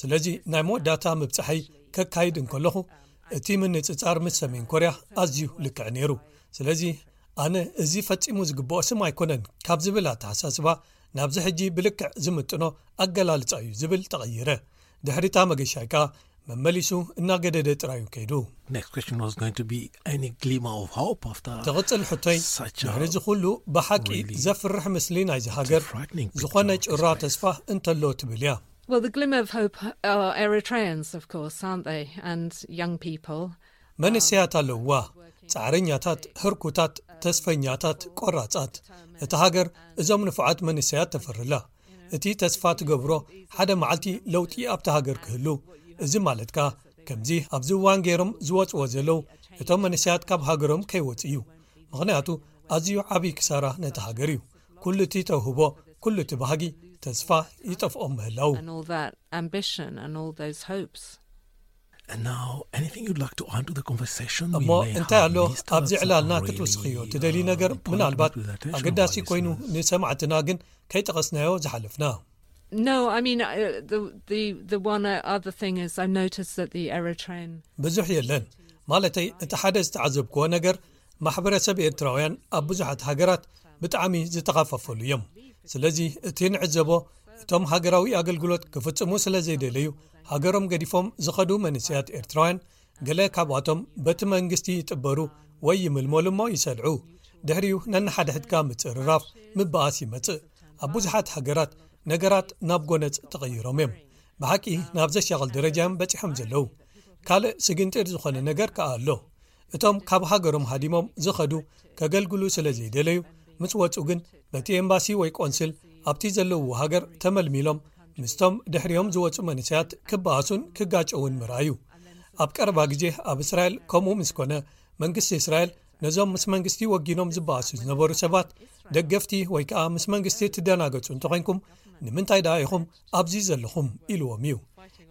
ስለዚ ናይ መወዳእታ ምብጻሐይ ከካይድ እንከለኹ፣ እቲ ምንጽጻር ምስ ሰሜን ኮርያ ኣዝዩ ልክዕ ነይሩ። ስለዚ ኣነ እዚ ፈጺሙ ዝግብኦ ስም ኣይኮነን ካብ ዝብል ኣተሓሳስባ ናብዚ ሕጂ ብልክዕ ዝምጥኖ ኣገላልጻ እዩ ዝብል ተቐይረ። ድሕሪታ መገሻይ ከኣ መመሊሱ እናገደደ ጥራዩ ከይዱ። Next question was going to be any glimmer of hope after ትቕጽል ሕቶይ፣ such a ድሕሪ እዚ ኩሉ ብሓቂ really ዘፍርሕ ምስሊ ናይዚ ሃገር frightening picture ዝኾነ of this ጭራ place. ተስፋ እንተሎ ትብል እያ። Well, the glimmer of hope are Eritreans, of course, aren't they? And young people. መንእሰያት ኣለውዋ፣ ጻዕረኛታት፣ ህርኩታት፣ ተስፈኛታት፣ ቆራጻት። እታ ሃገር እዞም ንፉዓት መንእሰያት ተፈርላ። እቲ ተስፋ ትገብሮ ሓደ መዓልቲ ለውጢ ኣብታ ሃገር ክህሉ። እዚ ማለት ከኣ ከምዚ ኣብዚ እዋን ገይሮም ዝወጽዎ ዘለዉ እቶም መንእሰያት ካብ ሃገሮም ከይወጽኡ እዩ። ምኽንያቱ ኣዝዩ ዓብዪ ክሳራ ነቲ ሃገር እዩ። ኩሉ እቲ ተውህቦ፣ ኩሉ እቲ ባህጊ፣ ተስፋ ይጠፍኦም ምህላው። And all that ambition and all those hopes. And now, anything you'd like to add to the conversation? We እሞ may እንታይ have ኣሎ missed ኣብዚ out ዕላልና some ክትውስኽዮ really, ትደልዩ uh, ነገር? important ምናልባት people attention ኣገዳሲ of our ኮይኑ listeners. ንሰማዕትና ግን ከይጠቐስናዮ ዝሓለፍና። No, I mean, uh, the, the, the one uh, other thing is I noticed that the Eritrean. ብዙሕ የለን። ማለተይ፣ እቲ ሓደ ዝተዓዘብክዎ ነገር፣ ማሕበረሰብ ኤርትራውያን ኣብ ብዙሓት ሃገራት ብጣዕሚ ዝተኸፋፈሉ እዮም። ስለዚ እቲ ንዕዘቦ፣ እቶም ሃገራዊ ኣገልግሎት ክፍጽሙ ስለ ዘይደለዩ፣ ሃገሮም ገዲፎም ዝኸዱ መንእሰያት ኤርትራውያን፣ ገለ ካብኣቶም በቲ መንግስቲ ይጥበሩ ወይ ይምልመሉ እሞ ይሰልዑ። ድሕሪኡ ነንሓድሕድካ ምጽርራፍ፣ ምበኣስ ይመጽእ። ኣብ ብዙሓት ሃገራት ነገራት ናብ ጎነጽ ተቐይሮም እዮም። ብሓቂ ናብ ዘሻቕል ደረጃ እዮም በጺሖም ዘለዉ። ካልእ ስግንጢር ዝኾነ ነገር ከኣ ኣሎ። እቶም ካብ ሃገሮም ሃዲሞም ዝኸዱ ከገልግሉ ስለ ዘይደለዩ፣ ምስ ወጹ ግን በቲ ኤምባሲ ወይ ቆንስል ኣብቲ ዘለውዎ ሃገር ተመልሚሎም ምስቶም ድሕሪኦም ዝወጹ መንእሰያት ክበኣሱን ክጋጨውን ምርኣዩ። ኣብ ቀረባ ግዜ ኣብ እስራኤል ከምኡ ምስ ኮነ፣ መንግስቲ እስራኤል ነዞም ምስ መንግስቲ ወጊኖም ዝበኣሱ ዝነበሩ ሰባት ደገፍቲ ወይ ከኣ ምስ መንግስቲ ትደናገጹ እንተኾይንኩም፣ ንምንታይ ደኣ ኢኹም ኣብዚ ዘለኹም? ኢልዎም እዩ።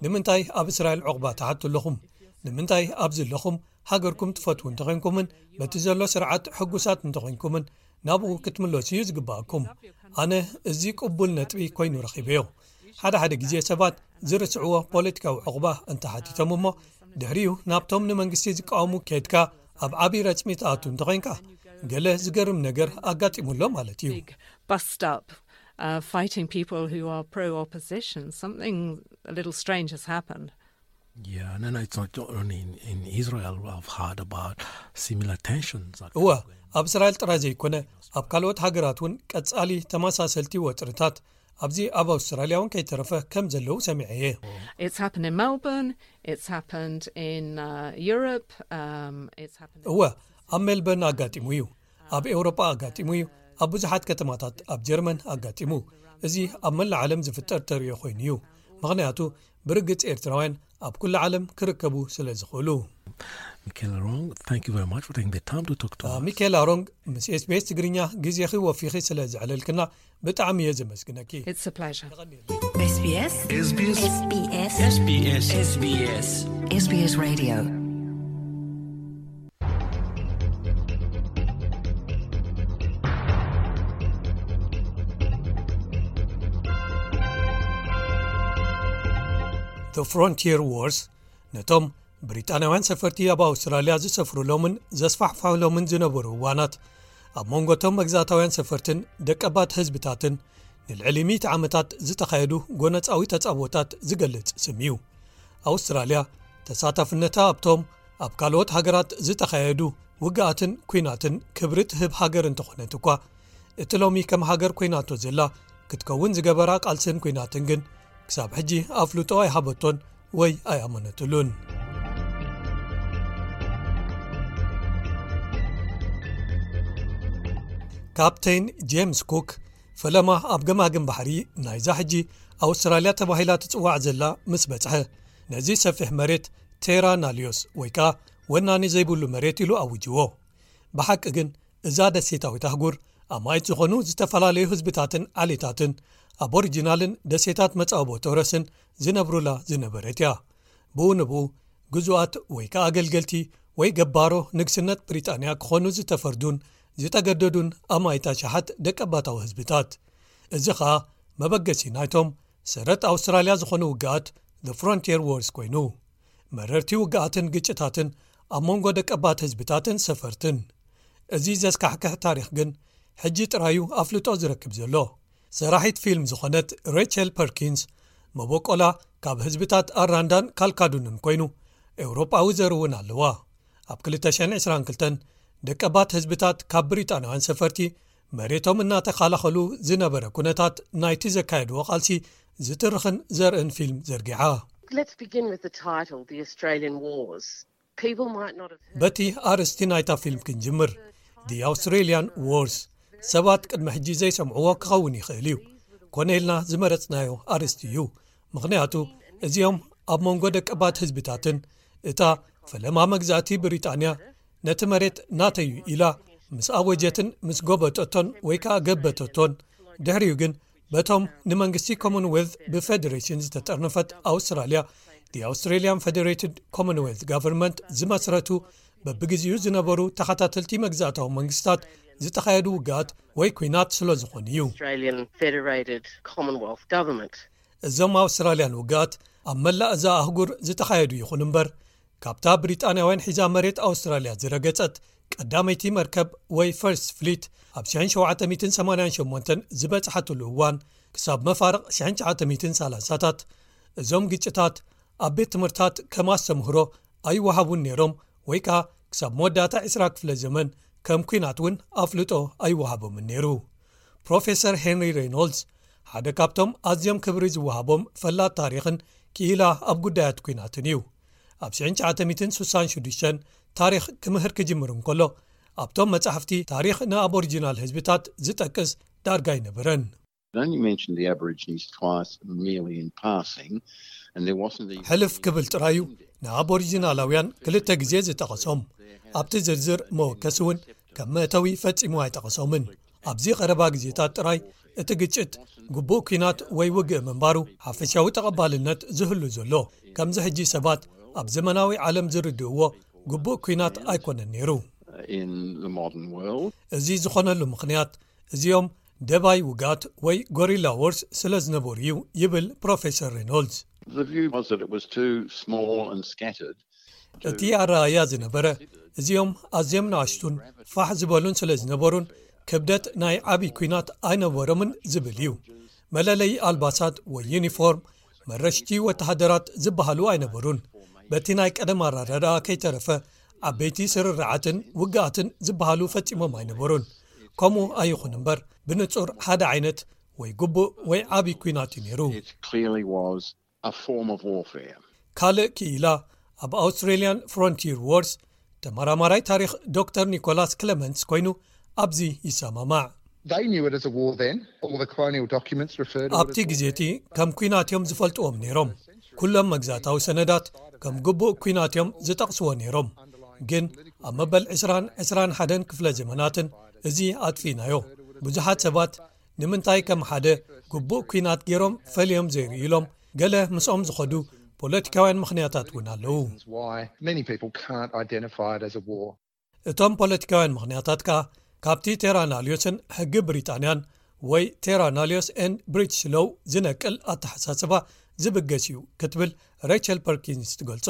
ንምንታይ ኣብ እስራኤል ዕቑባ ትሓቱ ኣለኹም? ንምንታይ ኣብዚ ኣለኹም? ሃገርኩም ትፈትዉ እንተኾይንኩምን በቲ ዘሎ ስርዓት ሕጉሳት እንተኾይንኩምን ናብኡ ክትምለሱ እዩ ዝግባኣኩም። ኣነ እዚ ቅቡል ነጥቢ ኮይኑ ረኺበዮ። ሓደ ሓደ ግዜ ሰባት ዝርስዕዎ ፖለቲካዊ ዕቑባ እንተሓቲቶም እሞ ድሕሪኡ ናብቶም ንመንግስቲ ዝቃወሙ ከድካ ኣብ ዓብዪ ረጽሚ ትኣቱ እንተኾይንካ ገለ ዝገርም ነገር ኣጋጢሙሎ ማለት እዩ። Big bust up uh, fighting people who are pro opposition. Something a little strange has happened. Yeah, no, no, it's not only in, in Israel. I've heard about similar tensions. እወ፣ ኣብ እስራኤል ጥራይ ዘይኮነ ኣብ ካልኦት ሃገራት እውን ቀጻሊ ተመሳሰልቲ ወጥርታት ኣብዚ ኣብ ኣውስትራልያ እውን ከይተረፈ ከም ዘለዉ ሰሚዐ እየ። It's happened in Melbourne, it's happened in uh, Europe, um, it's happened in እወ፣ ኣብ ሜልበርን ኣጋጢሙ እዩ፣ ኣብ ኤውሮጳ ኣጋጢሙ እዩ፣ ኣብ ብዙሓት ከተማታት ኣብ ጀርመን ኣጋጢሙ። እዚ ኣብ መላእ ዓለም ዝፍጠር ተርእዮ ኮይኑ እዩ፣ ምኽንያቱ ብርግጽ ኤርትራውያን ኣብ ኩሉ ዓለም ክርከቡ ስለ ዝኽእሉ። Michaela Rong, thank you very much for taking the time to talk to us. ሚካኤል ኣሮንግ፣ ምስ ኤስቢኤስ ትግርኛ ግዜኺ ወፊኺ ስለ ዘዕለልክና ብጣዕሚ እየ ዘመስግነኪ። It's a pleasure. SBS SBS SBS SBS SBS Radio. The Frontier Wars ነቶም ብሪጣንያውያን ሰፈርቲ ኣብ ኣውስትራልያ ዝሰፍሩሎምን ዘስፋሕፍሑሎምን ዝነበሩ እዋናት፣ ኣብ መንጎ እቶም መግዛእታውያን ሰፈርትን ደቀባት ህዝብታትን ንልዕሊ ሚእቲ ዓመታት ዝተኻየዱ ጎነጻዊ ተጻብኦታት ዝገልጽ ስም እዩ። ኣውስትራልያ ተሳታፍነታ ኣብቶም ኣብ ካልኦት ሃገራት ዝተኻየዱ ውግኣትን ኲናትን ክብሪ ትህብ ሃገር እንተኾነት እኳ፣ እቲ ሎሚ ከም ሃገር ኮይናቶ ዘላ ክትከውን ዝገበራ ቃልስን ኲናትን ግን ክሳብ ሕጂ ኣፍልጦ ኣይሃበቶን ወይ ኣይኣመነትሉን። ካፕቴን ጄምስ ኩክ ፈለማ ኣብ ገማግም ባሕሪ ናይዛ ሕጂ ኣውስትራልያ ተባሂላ ትጽዋዕ ዘላ ምስ በጽሐ፣ ነዚ ሰፊሕ መሬት ቴራ ናልዮስ ወይ ከኣ ወናኒ ዘይብሉ መሬት ኢሉ ኣውጅዎ። ብሓቂ ግን እዛ ደሴታዊት ኣህጉር ኣማኢት ዝኾኑ ዝተፈላለዩ ህዝብታትን ዓሌታትን ኣቦሪጂናልን ደሴታት መጻወቦ ቶረስን ዝነብሩላ ዝነበረት እያ። ብኡ ንብኡ ግዙኣት ወይ ከኣ ኣገልገልቲ ወይ ገባሮ ንግስነት ብሪጣንያ ክኾኑ ዝተፈርዱን ዝተገደዱን ኣማኢት ኣሽሓት ደቀባታዊ ህዝብታት። እዚ ኸኣ መበገሲ ናይቶም ሰረት ኣውስትራልያ ዝኾኑ ውግኣት The Frontier Wars ኮይኑ፣ መረርቲ ውግኣትን ግጭታትን ኣብ መንጎ ደቀባት ህዝብታትን ሰፈርትን። እዚ ዘስካሕክሕ ታሪኽ ግን ሕጂ ጥራዩ ኣፍልጦ ዝረክብ ዘሎ። ሰራሒት ፊልም ዝኾነት ሬቸል ፐርኪንስ መበቆላ ካብ ህዝብታት ኣራንዳን ካልካዱንን ኮይኑ፣ ኤውሮጳዊ ዘር እውን ኣለዋ። ኣብ ክልተ ሽሕን ዕስራን ክልተን ደቀባት ህዝብታት ካብ ብሪጣንያውያን ሰፈርቲ መሬቶም እናተኻላኸሉ ዝነበረ ኩነታት ናይቲ ዘካየድዎ ቃልሲ ዝትርኽን ዘርእን ፊልም ዘርጊሓ። Let's begin with the title, The Australian Wars. People might not have heard በቲ ኣርእስቲ ናይታ ፊልም ክንጅምር። The Australian Wars። ሰባት ቅድሚ ሕጂ ዘይሰምዕዎ ክኸውን ይኽእል እዩ። ኮነ ኢልና ዝመረጽናዮ ኣርእስቲ እዩ። ምኽንያቱ እዚኦም ኣብ መንጎ ደቀባት ህዝብታትን እታ ፈለማ መግዛእቲ ብሪጣንያ ነቲ መሬት ናተዩ ኢላ ምስ ኣወጀትን ምስ ጎበጠቶን ወይ ከኣ ገበተቶን፣ ድሕሪኡ ግን በቶም ንመንግስቲ ኮመንዌልት ብፌደሬሽን ዝተጠርነፈት ኣውስትራልያ፣ The Australian Federated Commonwealth Government፣ ዝመስረቱ በብግዜኡ ዝነበሩ ተኸታተልቲ መግዛእታዊ መንግስታት ዝተኻየዱ ውግኣት ወይ ኲናት ስለ ዝኾኑ እዩ። Australian Federated Commonwealth Government. እዞም ኣውስትራልያን ውግኣት ኣብ መላእ እዛ ኣህጉር ዝተኻየዱ ይኹን እምበር፣ ካብታ ብሪጣንያውያን ሒዛ መሬት ኣውስትራልያ ዝረገጸት ቀዳመይቲ መርከብ ወይ ፈርስት ፍሊት ኣብ ሽሕን ሸውዓተ ሚእትን ሰማንያን ሸሞንተን ዝበጽሓትሉ እዋን ክሳብ መፋርቕ ሽሕን ትሽዓተ ሚእትን ሰላሳታት፣ እዞም ግጭታት ኣብ ቤት ትምህርታት ከም ኣስተምህሮ ኣይወሃቡን ነይሮም፣ ወይ ከኣ ክሳብ መወዳእታ ዕስራ ክፍለ ዘመን ከም ኲናት እውን ኣፍልጦ ኣይወሃቦምን ነይሩ። ፕሮፌሰር ሄንሪ ሬይኖልድስ ሓደ ካብቶም ኣዝዮም ክብሪ ዝወሃቦም ፈላጥ ታሪኽን ክኢላ ኣብ ጉዳያት ኲናትን እዩ። ኣብ ሽሕን ትሽዓተ ሚእትን ስሳን ሽዱሽተን ታሪኽ ክምህር ክጅምር እንከሎ፣ ኣብቶም መጻሕፍቲ ታሪኽ ንኣቦሪጂናል ህዝብታት ዝጠቅስ ዳርጋ ኣይነበረን። It only mentioned the Aborigines twice, merely in passing, and there wasn't even ሕልፍ ክብል ጥራዩ ንኣቦሪጂናላውያን ክልተ ግዜ ዝጠቐሶም። ኣብቲ ዝርዝር መወከሲ እውን ከም መእተዊ ፈጺሙ ኣይጠቐሶምን። ኣብዚ ቀረባ ግዜታት ጥራይ እቲ ግጭት ግቡእ ኲናት ወይ ውግእ ምንባሩ ሓፈሻዊ ተቐባልነት ዝህሉ ዘሎ፣ ከምዚ ሕጂ ሰባት ኣብ ዘመናዊ ዓለም ዝርድእዎ ግቡእ ኲናት ኣይኮነን ነይሩ። In the modern world. እዚ ዝኾነሉ ምኽንያት እዚኦም ደባይ ውግኣት ወይ ጎሪላ ዎርስ ስለ ዝነበሩ እዩ ይብል ፕሮፌሰር ሬኖልድስ። The view was that it was too small and scattered. እቲ ኣረኣእያ ዝነበረ እዚኦም ኣዝዮም ንኣሽቱን ፋሕ ዝበሉን ስለ ዝነበሩን ክብደት ናይ ዓብዪ ኲናት ኣይነበሮምን ዝብል እዩ። መለለዪ ኣልባሳት ወይ ዩኒፎርም፣ መረሽቲ ወተሃደራት ዝበሃሉ ኣይነበሩን። በቲ ናይ ቀደም ኣረዳድኣ ከይተረፈ ዓበይቲ ስርርዓትን ውግኣትን ዝበሃሉ ፈጺሞም ኣይነበሩን። ከምኡ ኣይኹን እምበር ብንጹር ሓደ ዓይነት ወይ ግቡእ ወይ ዓብዪ ኲናት እዩ ነይሩ። It clearly was a form of warfare. ካልእ ክኢላ ኣብ ኣውስትሬልያን ፍሮንቲር ዎርስ ተመራማራይ ታሪኽ ዶክተር ኒኮላስ ክለመንትስ ኮይኑ ኣብዚ ይሰማማዕ። They knew it as a war then. All the colonial documents refer to it ኣብቲ as war. ግዜ እቲ ከም ኲናት እዮም ዝፈልጥዎም ነይሮም። ኩሎም መግዛእታዊ ሰነዳት ከም ግቡእ ኲናት እዮም ዝጠቕስዎ ነይሮም። ግን ኣብ መበል ዕስራን ዕስራን ሓደን ክፍለ ዘመናትን እዚ ኣጥፊእናዮ። ብዙሓት ሰባት ንምንታይ ከም ሓደ ግቡእ ኲናት ገይሮም ፈልዮም ዘይርእዩሎም ገለ ምስኦም ዝኸዱ ፖለቲካውያን ምኽንያታት እውን ኣለዉ። Why many people can't identify it as a war. እቶም ፖለቲካውያን ምኽንያታት ከኣ ካብቲ ቴራናልዮስን ሕጊ ብሪጣንያን ወይ ቴራናልዮስ ኤንድ ብሪትሽ ሎው ዝነቅል ኣተሓሳስባ ዝብገስ እዩ ክትብል ሬቸል ፐርኪንስ ትገልጾ።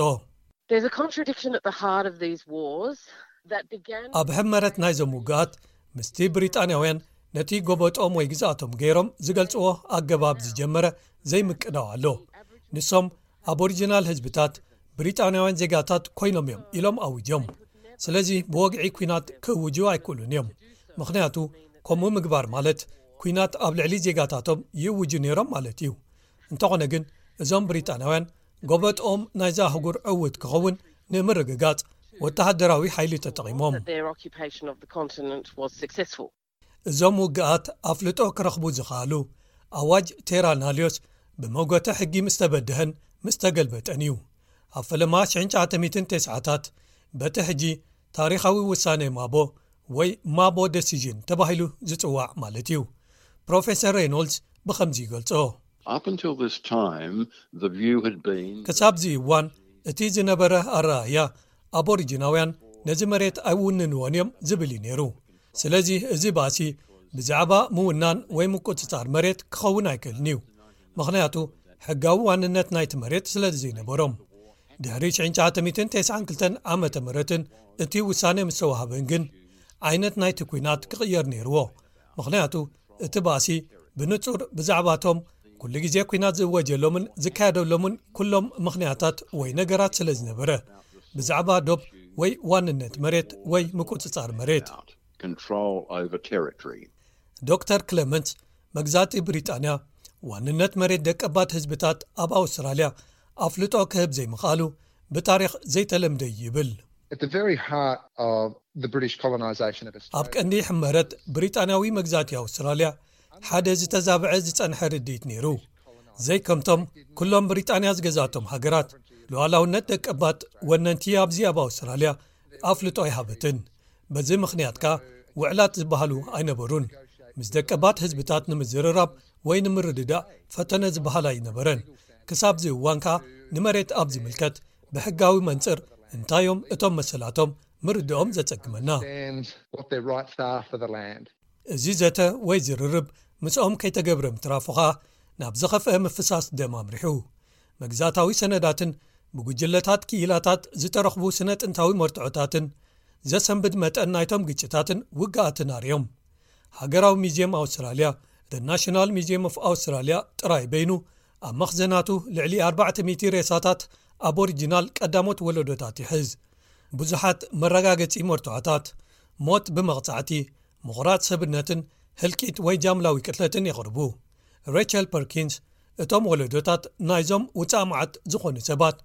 There's a contradiction at the heart of these wars that began. ኣብ ሕመረት ናይዞም ውግኣት ምስቲ ብሪጣንያውያን ነቲ ጎበጦም ወይ ግዝኣቶም ገይሮም ዝገልጽዎ ኣገባብ ዝጀመረ ዘይምቅዳው ኣሎ። ንሶም ኣቦሪጂናል ህዝብታት ብሪጣንያውያን ዜጋታት ኮይኖም እዮም ኢሎም ኣውጆም። ስለዚ ብወግዒ ኲናት ክእውጁ ኣይክእሉን እዮም። ምኽንያቱ ከምኡ ምግባር ማለት ኲናት ኣብ ልዕሊ ዜጋታቶም ይእውጁ ነይሮም ማለት እዩ። እንተኾነ ግን እዞም ብሪጣንያውያን ጎበጥኦም ናይዛ ኣህጉር ዕውት ክኸውን ንምርግጋጽ ወተሃደራዊ ሓይሊ ተጠቒሞም። That their occupation of the continent was successful. እዞም ውግኣት ኣፍልጦ ክረኽቡ ዝኸኣሉ ኣዋጅ ቴራናልዮስ ብመጎተ ሕጊ ምስ ተበድሀን ምስ ተገልበጠን እዩ። ኣብ ፈለማ ሽሕን ትሽዓተ ሚእትን ተስዓታት በቲ ሕጂ ታሪኻዊ ውሳኔ ማቦ ወይ ማቦ ደሲዥን ተባሂሉ ዝጽዋዕ ማለት እዩ። ፕሮፌሰር ሬኖልድስ ብኸምዚ ይገልጾ። Up until this time, the view had been ክሳብዚ እዋን እቲ ዝነበረ ኣረኣእያ ኣቦሪጂናውያን ነዚ መሬት ኣይውንንዎን እዮም ዝብል እዩ ነይሩ። ስለዚ እዚ ባእሲ ብዛዕባ ምውናን ወይ ምቁጽጻር መሬት ክኸውን ኣይክእልን እዩ። ምኽንያቱ ሕጋዊ ዋንነት ናይቲ መሬት ስለ ዘይነበሮም። ድሕሪ ሽሕን ትሽዓተ ሚእትን ተስዓን ክልተን ዓመተ ምህረትን እቲ ውሳኔ ምስ ተዋህበን ግን ዓይነት ናይቲ ኲናት ክቕየር ነይርዎ። ምኽንያቱ እቲ ባእሲ ብንጹር ብዛዕባቶም ኩሉ ግዜ ኲናት ዝእወጀሎምን ዝካየደሎምን ኩሎም ምኽንያታት ወይ ነገራት ስለ ዝነበረ ብዛዕባ ዶብ ወይ ዋንነት መሬት ወይ ምቁጽጻር መሬት። Control over territory. ዶክተር ክለመንት መግዛእቲ ብሪጣንያ ዋንነት መሬት ደቀባት ህዝብታት ኣብ ኣውስትራልያ ኣፍልጦ ክህብ ዘይምኽኣሉ ብታሪኽ ዘይተለምደ እዩ ይብል። At the very heart of the British colonisation of ኣብ Australia. ቀንዲ ሕመረት ብሪጣንያዊ መግዛእቲ ኣውስትራልያ ሓደ ዝተዛብዐ ዝጸንሐ ርድኢት ነይሩ። ዘይከምቶም ኩሎም ብሪጣንያ ዝገዛቶም ሃገራት ሉዓላውነት ደቀባት ወነንቲ ኣብዚ ኣብ ኣውስትራልያ ኣፍልጦ ኣይሃበትን። በዚ ምኽንያት ከኣ ውዕላት ዝበሃሉ ኣይነበሩን። ምስ ደቀባት ህዝብታት ንምዝርራብ ወይ ንምርድዳእ ፈተነ ዝበሃል ኣይነበረን። ክሳብ እዚ እዋን ከኣ ንመሬት ኣብ ዝምልከት ብሕጋዊ መንጽር እንታዮም እቶም መሰላቶም ምርድኦም ዘጸግመና። Understand what their rights are for the land. እዚ ዘተ ወይ ዝርርብ ምስኦም ከይተገብረ ምትራፉ ኸኣ ናብ ዝኸፍአ ምፍሳስ ደም ኣምሪሑ። መግዛእታዊ ሰነዳትን ብጉጅለታት ክኢላታት ዝተረኽቡ ስነ ጥንታዊ መርትዖታትን ዘሰንብድ መጠን ናይቶም ግጭታትን ውግኣትን ኣርእዮም። ሃገራዊ ሚዝየም ኣውስትራልያ፣ The National Museum of Australia፣ ጥራይ በይኑ ኣብ መኽዘናቱ ልዕሊ ኣርባዕተ ሚእቲ ሬሳታት ኣቦሪጂናል ቀዳሞት ወለዶታት ይሕዝ። ብዙሓት መረጋገጺ መርትዖታት፣ ሞት ብመቕጻዕቲ፣ ምቑራጽ ሰብነትን ህልቂት ወይ ጃምላዊ ቅትለትን የቕርቡ። ሬቸል ፐርኪንስ እቶም ወለዶታት ናይዞም ውፃእ መዓት ዝኾኑ ሰባት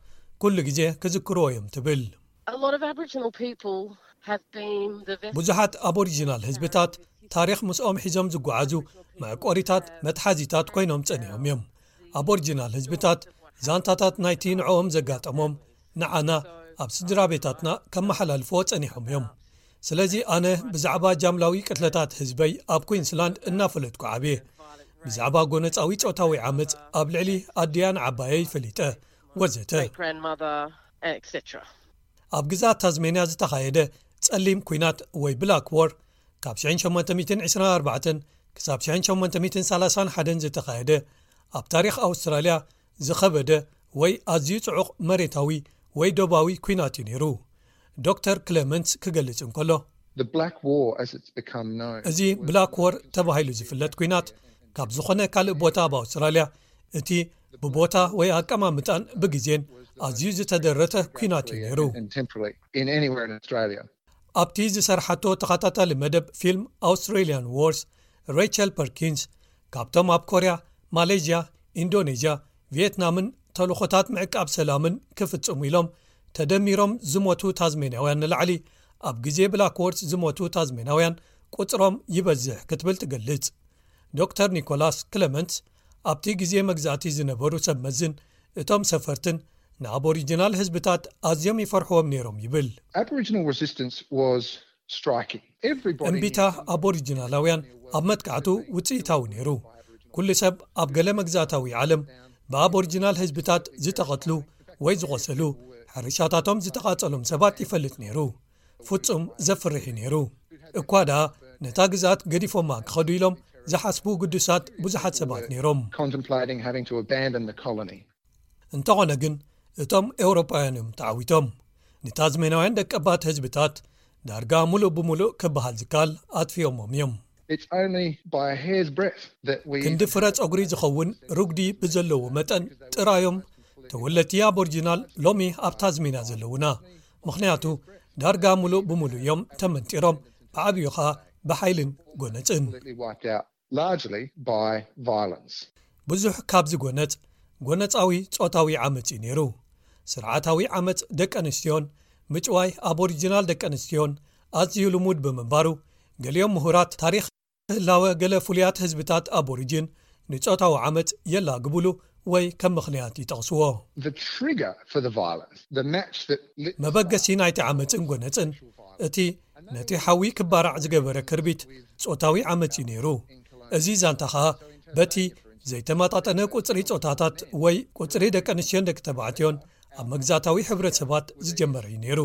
ኩሉ ግዜ ክዝክርዎ እዮም ትብል። A lot of Aboriginal people have been the vessel. ብዙሓት ኣቦሪጂናል ህዝብታት ታሪኽ ምስኦም ሒዞም ዝጓዓዙ መዕቆሪታት መትሓዚታት ኮይኖም ጸኒሖም እዮም። ኣቦሪጂናል ህዝብታት ዛንታታት ናይቲ ንዕኦም ዘጋጠሞም ንዓና ኣብ ስድራ ቤታትና ከመሓላልፍዎ ጸኒሖም እዮም። ስለዚ ኣነ ብዛዕባ ጃምላዊ ቅትለታት ህዝበይ ኣብ ኩዊንስላንድ እናፈለጥኩ ዓብየ። ብዛዕባ ጎነጻዊ ጾታዊ ዓመጽ ኣብ ልዕሊ ኣድያን ዓባየይ ፈሊጠ ወዘተ። Grandmother, et cetera. ኣብ ግዛት ታዝሜንያ ዝተኻየደ ጸሊም ኲናት ወይ ብላክ ዎር ካብ ሸሞንተ ሚእትን ዕስራን ኣርባዕተን ክሳብ ሸሞንተ ሚእትን ሰላሳን ሓደን ዝተኻየደ ኣብ ታሪኽ ኣውስትራልያ ዝኸበደ ወይ ኣዝዩ ጽዑቕ መሬታዊ ወይ ዶባዊ ኲናት እዩ ነይሩ። ዶክተር ክለመንትስ ክገልጽ እንከሎ The Black War, as it's become known, እዚ ብላክ ዎር ተባሂሉ ዝፍለጥ ኲናት ካብ ዝኾነ ካልእ ቦታ ኣብ ኣውስትራልያ እቲ ብቦታ ወይ ኣቀማምጣን ብግዜን ኣዝዩ ዝተደረተ ኲናት እዩ ነይሩ። And temporarily in anywhere in Australia. ኣብቲ ዝሰርሓቶ ተኸታታሊ መደብ ፊልም ኣውስትራሊያን ዎርስ ሬቸል ፐርኪንስ ካብቶም ኣብ ኮርያ፣ ማሌዥያ፣ ኢንዶኔዥያ፣ ቪየትናምን ተልኾታት ምዕቃብ ሰላምን ክፍጽሙ ኢሎም ተደሚሮም ዝሞቱ ታዝሜንያውያን ንላዕሊ ኣብ ግዜ ብላክ ዎርስ ዝሞቱ ታዝሜንያውያን ቁጽሮም ይበዝሕ ክትብል ትገልጽ። ዶክተር ኒኮላስ ክለመንትስ ኣብቲ ግዜ መግዛእቲ ዝነበሩ ሰብ መዝን እቶም ሰፈርትን ንኣቦሪጂናል ህዝብታት ኣዝዮም ይፈርሕዎም ነይሮም ይብል። Aboriginal resistance was striking. Everybody እምቢታ ኣቦሪጂናላውያን ኣብ መጥቃዕቱ ውፅኢታዊ ነይሩ። ኩሉ ሰብ ኣብ ገለ መግዛእታዊ ዓለም ብኣቦሪጂናል ህዝብታት ዝተቐትሉ ወይ ዝቖሰሉ፣ ሕርሻታቶም ዝተቓጸሎም ሰባት ይፈልጥ ነይሩ። ፍጹም ዘፍርሕ እዩ ነይሩ። እኳ ደኣ ነታ ግዛት ገዲፎማ ክኸዱ ኢሎም ዝሓስቡ ግዱሳት ብዙሓት ሰባት ነይሮም። contemplating having to abandon the colony. እንተኾነ ግን እቶም ኤውሮጳውያን እዮም ተዓዊቶም። ንታዝሜናውያን ደቀባት ህዝብታት ዳርጋ ሙሉእ ብሙሉእ ክበሃል ዝካል ኣጥፊኦሞም እዮም። It's only by a hair's breadth that we ክንዲ ፍረ ጸጉሪ ዝኸውን ርጉዲ ብዘለዎ መጠን ጥራዮም ተወለድቲ ኣቦሪጂናል ሎሚ ኣብ ታዝሜንያ ዘለውና። ምኽንያቱ ዳርጋ ሙሉእ ብሙሉእ እዮም ተመንጢሮም፣ ብዓብዩ ኸኣ ብሓይልን ጎነጽን። Completely wiped out, largely by violence. ብዙሕ ካብዚ ጎነጽ ጎነጻዊ ጾታዊ ዓመጽ እዩ ነይሩ። ስርዓታዊ ዓመጽ ደቂ ኣንስትዮን ምጭዋይ ኣቦሪጂናል ደቂ ኣንስትዮን ኣዝዩ ልሙድ ብምንባሩ፣ ገሊኦም ምሁራት ታሪኽ ህላወ ገለ ፍሉያት ህዝብታት ኣቦሪጂን ንጾታዊ ዓመጽ የላግብሉ ወይ ከም ምኽንያት ይጠቕስዎ። The trigger for the violence, the match that lit መበገሲ ናይቲ ዓመጽን ጎነጽን እቲ ነቲ ሓዊ ክባራዕ ዝገበረ ክርቢት ጾታዊ ዓመጽ እዩ ነይሩ። እዚ ዛንታ ኸኣ በቲ ዘይተመጣጠነ ቁጽሪ ጾታታት ወይ ቁጽሪ ደቂ ኣንስትዮን ደቂ ተባዕትዮን ኣብ መግዛእታዊ ሕብረተሰባት ዝጀመረ እዩ ነይሩ።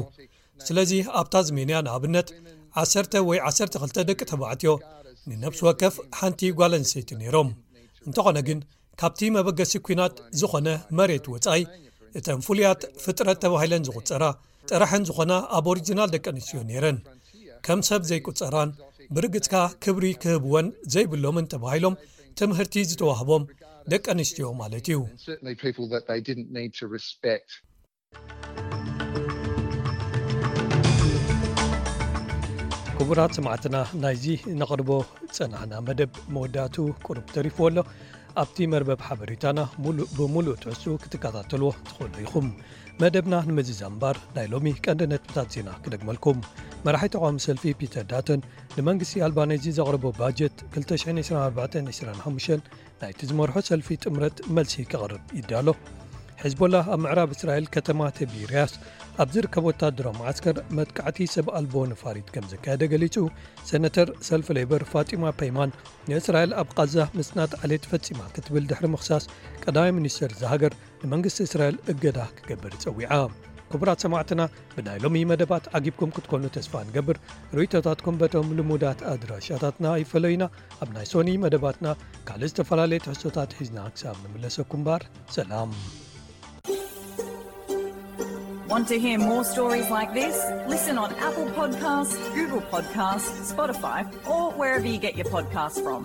ስለዚ ኣብ ታዝሜንያ ንኣብነት ዓሰርተ ወይ ዓሰርተ ክልተ ደቂ ተባዕትዮ ንነፍሲ ወከፍ ሓንቲ ጓል ኣንስተይቲ ነይሮም። እንተኾነ ግን ካብቲ መበገሲ ኲናት ዝኾነ መሬት ወጻኢ እተን ፍሉያት ፍጥረት ተባሂለን ዝቑጸራ ጥራሕን ዝኾና ኣቦሪጂናል ደቂ ኣንስትዮ ነይረን። ከም ሰብ ዘይቁጸራን ብርግጽካ ክብሪ ክህብወን ዘይብሎምን ተባሂሎም ትምህርቲ ዝተዋህቦም ደቂ ኣንስትዮ ማለት እዩ። Certainly people that they didn't need to respect. ክቡራት ሰማዕትና፣ ናይዚ ነቕርቦ ጸናሕና መደብ መወዳእቱ ቁሩብ ተሪፍዎ ኣሎ። ኣብቲ መርበብ ሓበሬታና ሙሉእ ብሙሉእ ትሕዝኡ ክትከታተልዎ ትኽእሉ ኢኹም። መደብና ንምዝዛም እምበር ናይ ሎሚ ቀንዲ ነጥብታት ዜና ክደግመልኩም። መራሒ ተቓዋሚ ሰልፊ ፒተር ዳተን ንመንግስቲ ኣልባኔዚ ዘቕረቦ ባጀት ክልተ ሽሕን ዕስራን ኣርባዕተን ዕስራን ሓሙሽተን ናይቲ ዝመርሖ ሰልፊ ጥምረት መልሲ ከቕርብ ይዳሎ። ሕዝቦላ ኣብ ምዕራብ እስራኤል ከተማ ተቢርያስ ኣብ ዝርከብ ወታደራዊ መዓስከር መጥቃዕቲ ሰብ ኣልቦ ነፋሪት ከም ዘካየደ ገሊጹ። ሰነተር ሰልፊ ሌበር ፋጢማ ፔይማን ንእስራኤል ኣብ ቃዛ ምጽናት ዓሌት ፈጺማ ክትብል ድሕሪ ምኽሳስ ቀዳማይ ሚኒስተር እዛ ሃገር ንመንግስቲ እስራኤል እገዳ ክገብር ጸዊዓ። ክቡራት ሰማዕትና፣ ብናይ ሎሚ መደባት ዓጊብኩም ክትኮኑ ተስፋ ንገብር። ርእይቶታትኩም በቶም ልሙዳት ኣድራሻታትና ይፈለዩና። ኣብ ናይ ሶኒ መደባትና ካልእ ዝተፈላለየ ትሕዝቶታት ሒዝና ክሳብ ንምለሰኩም እምበር ሰላም። Want to hear more stories like this? Listen on Apple Podcasts, Google Podcasts, Spotify, or wherever you get your podcasts from.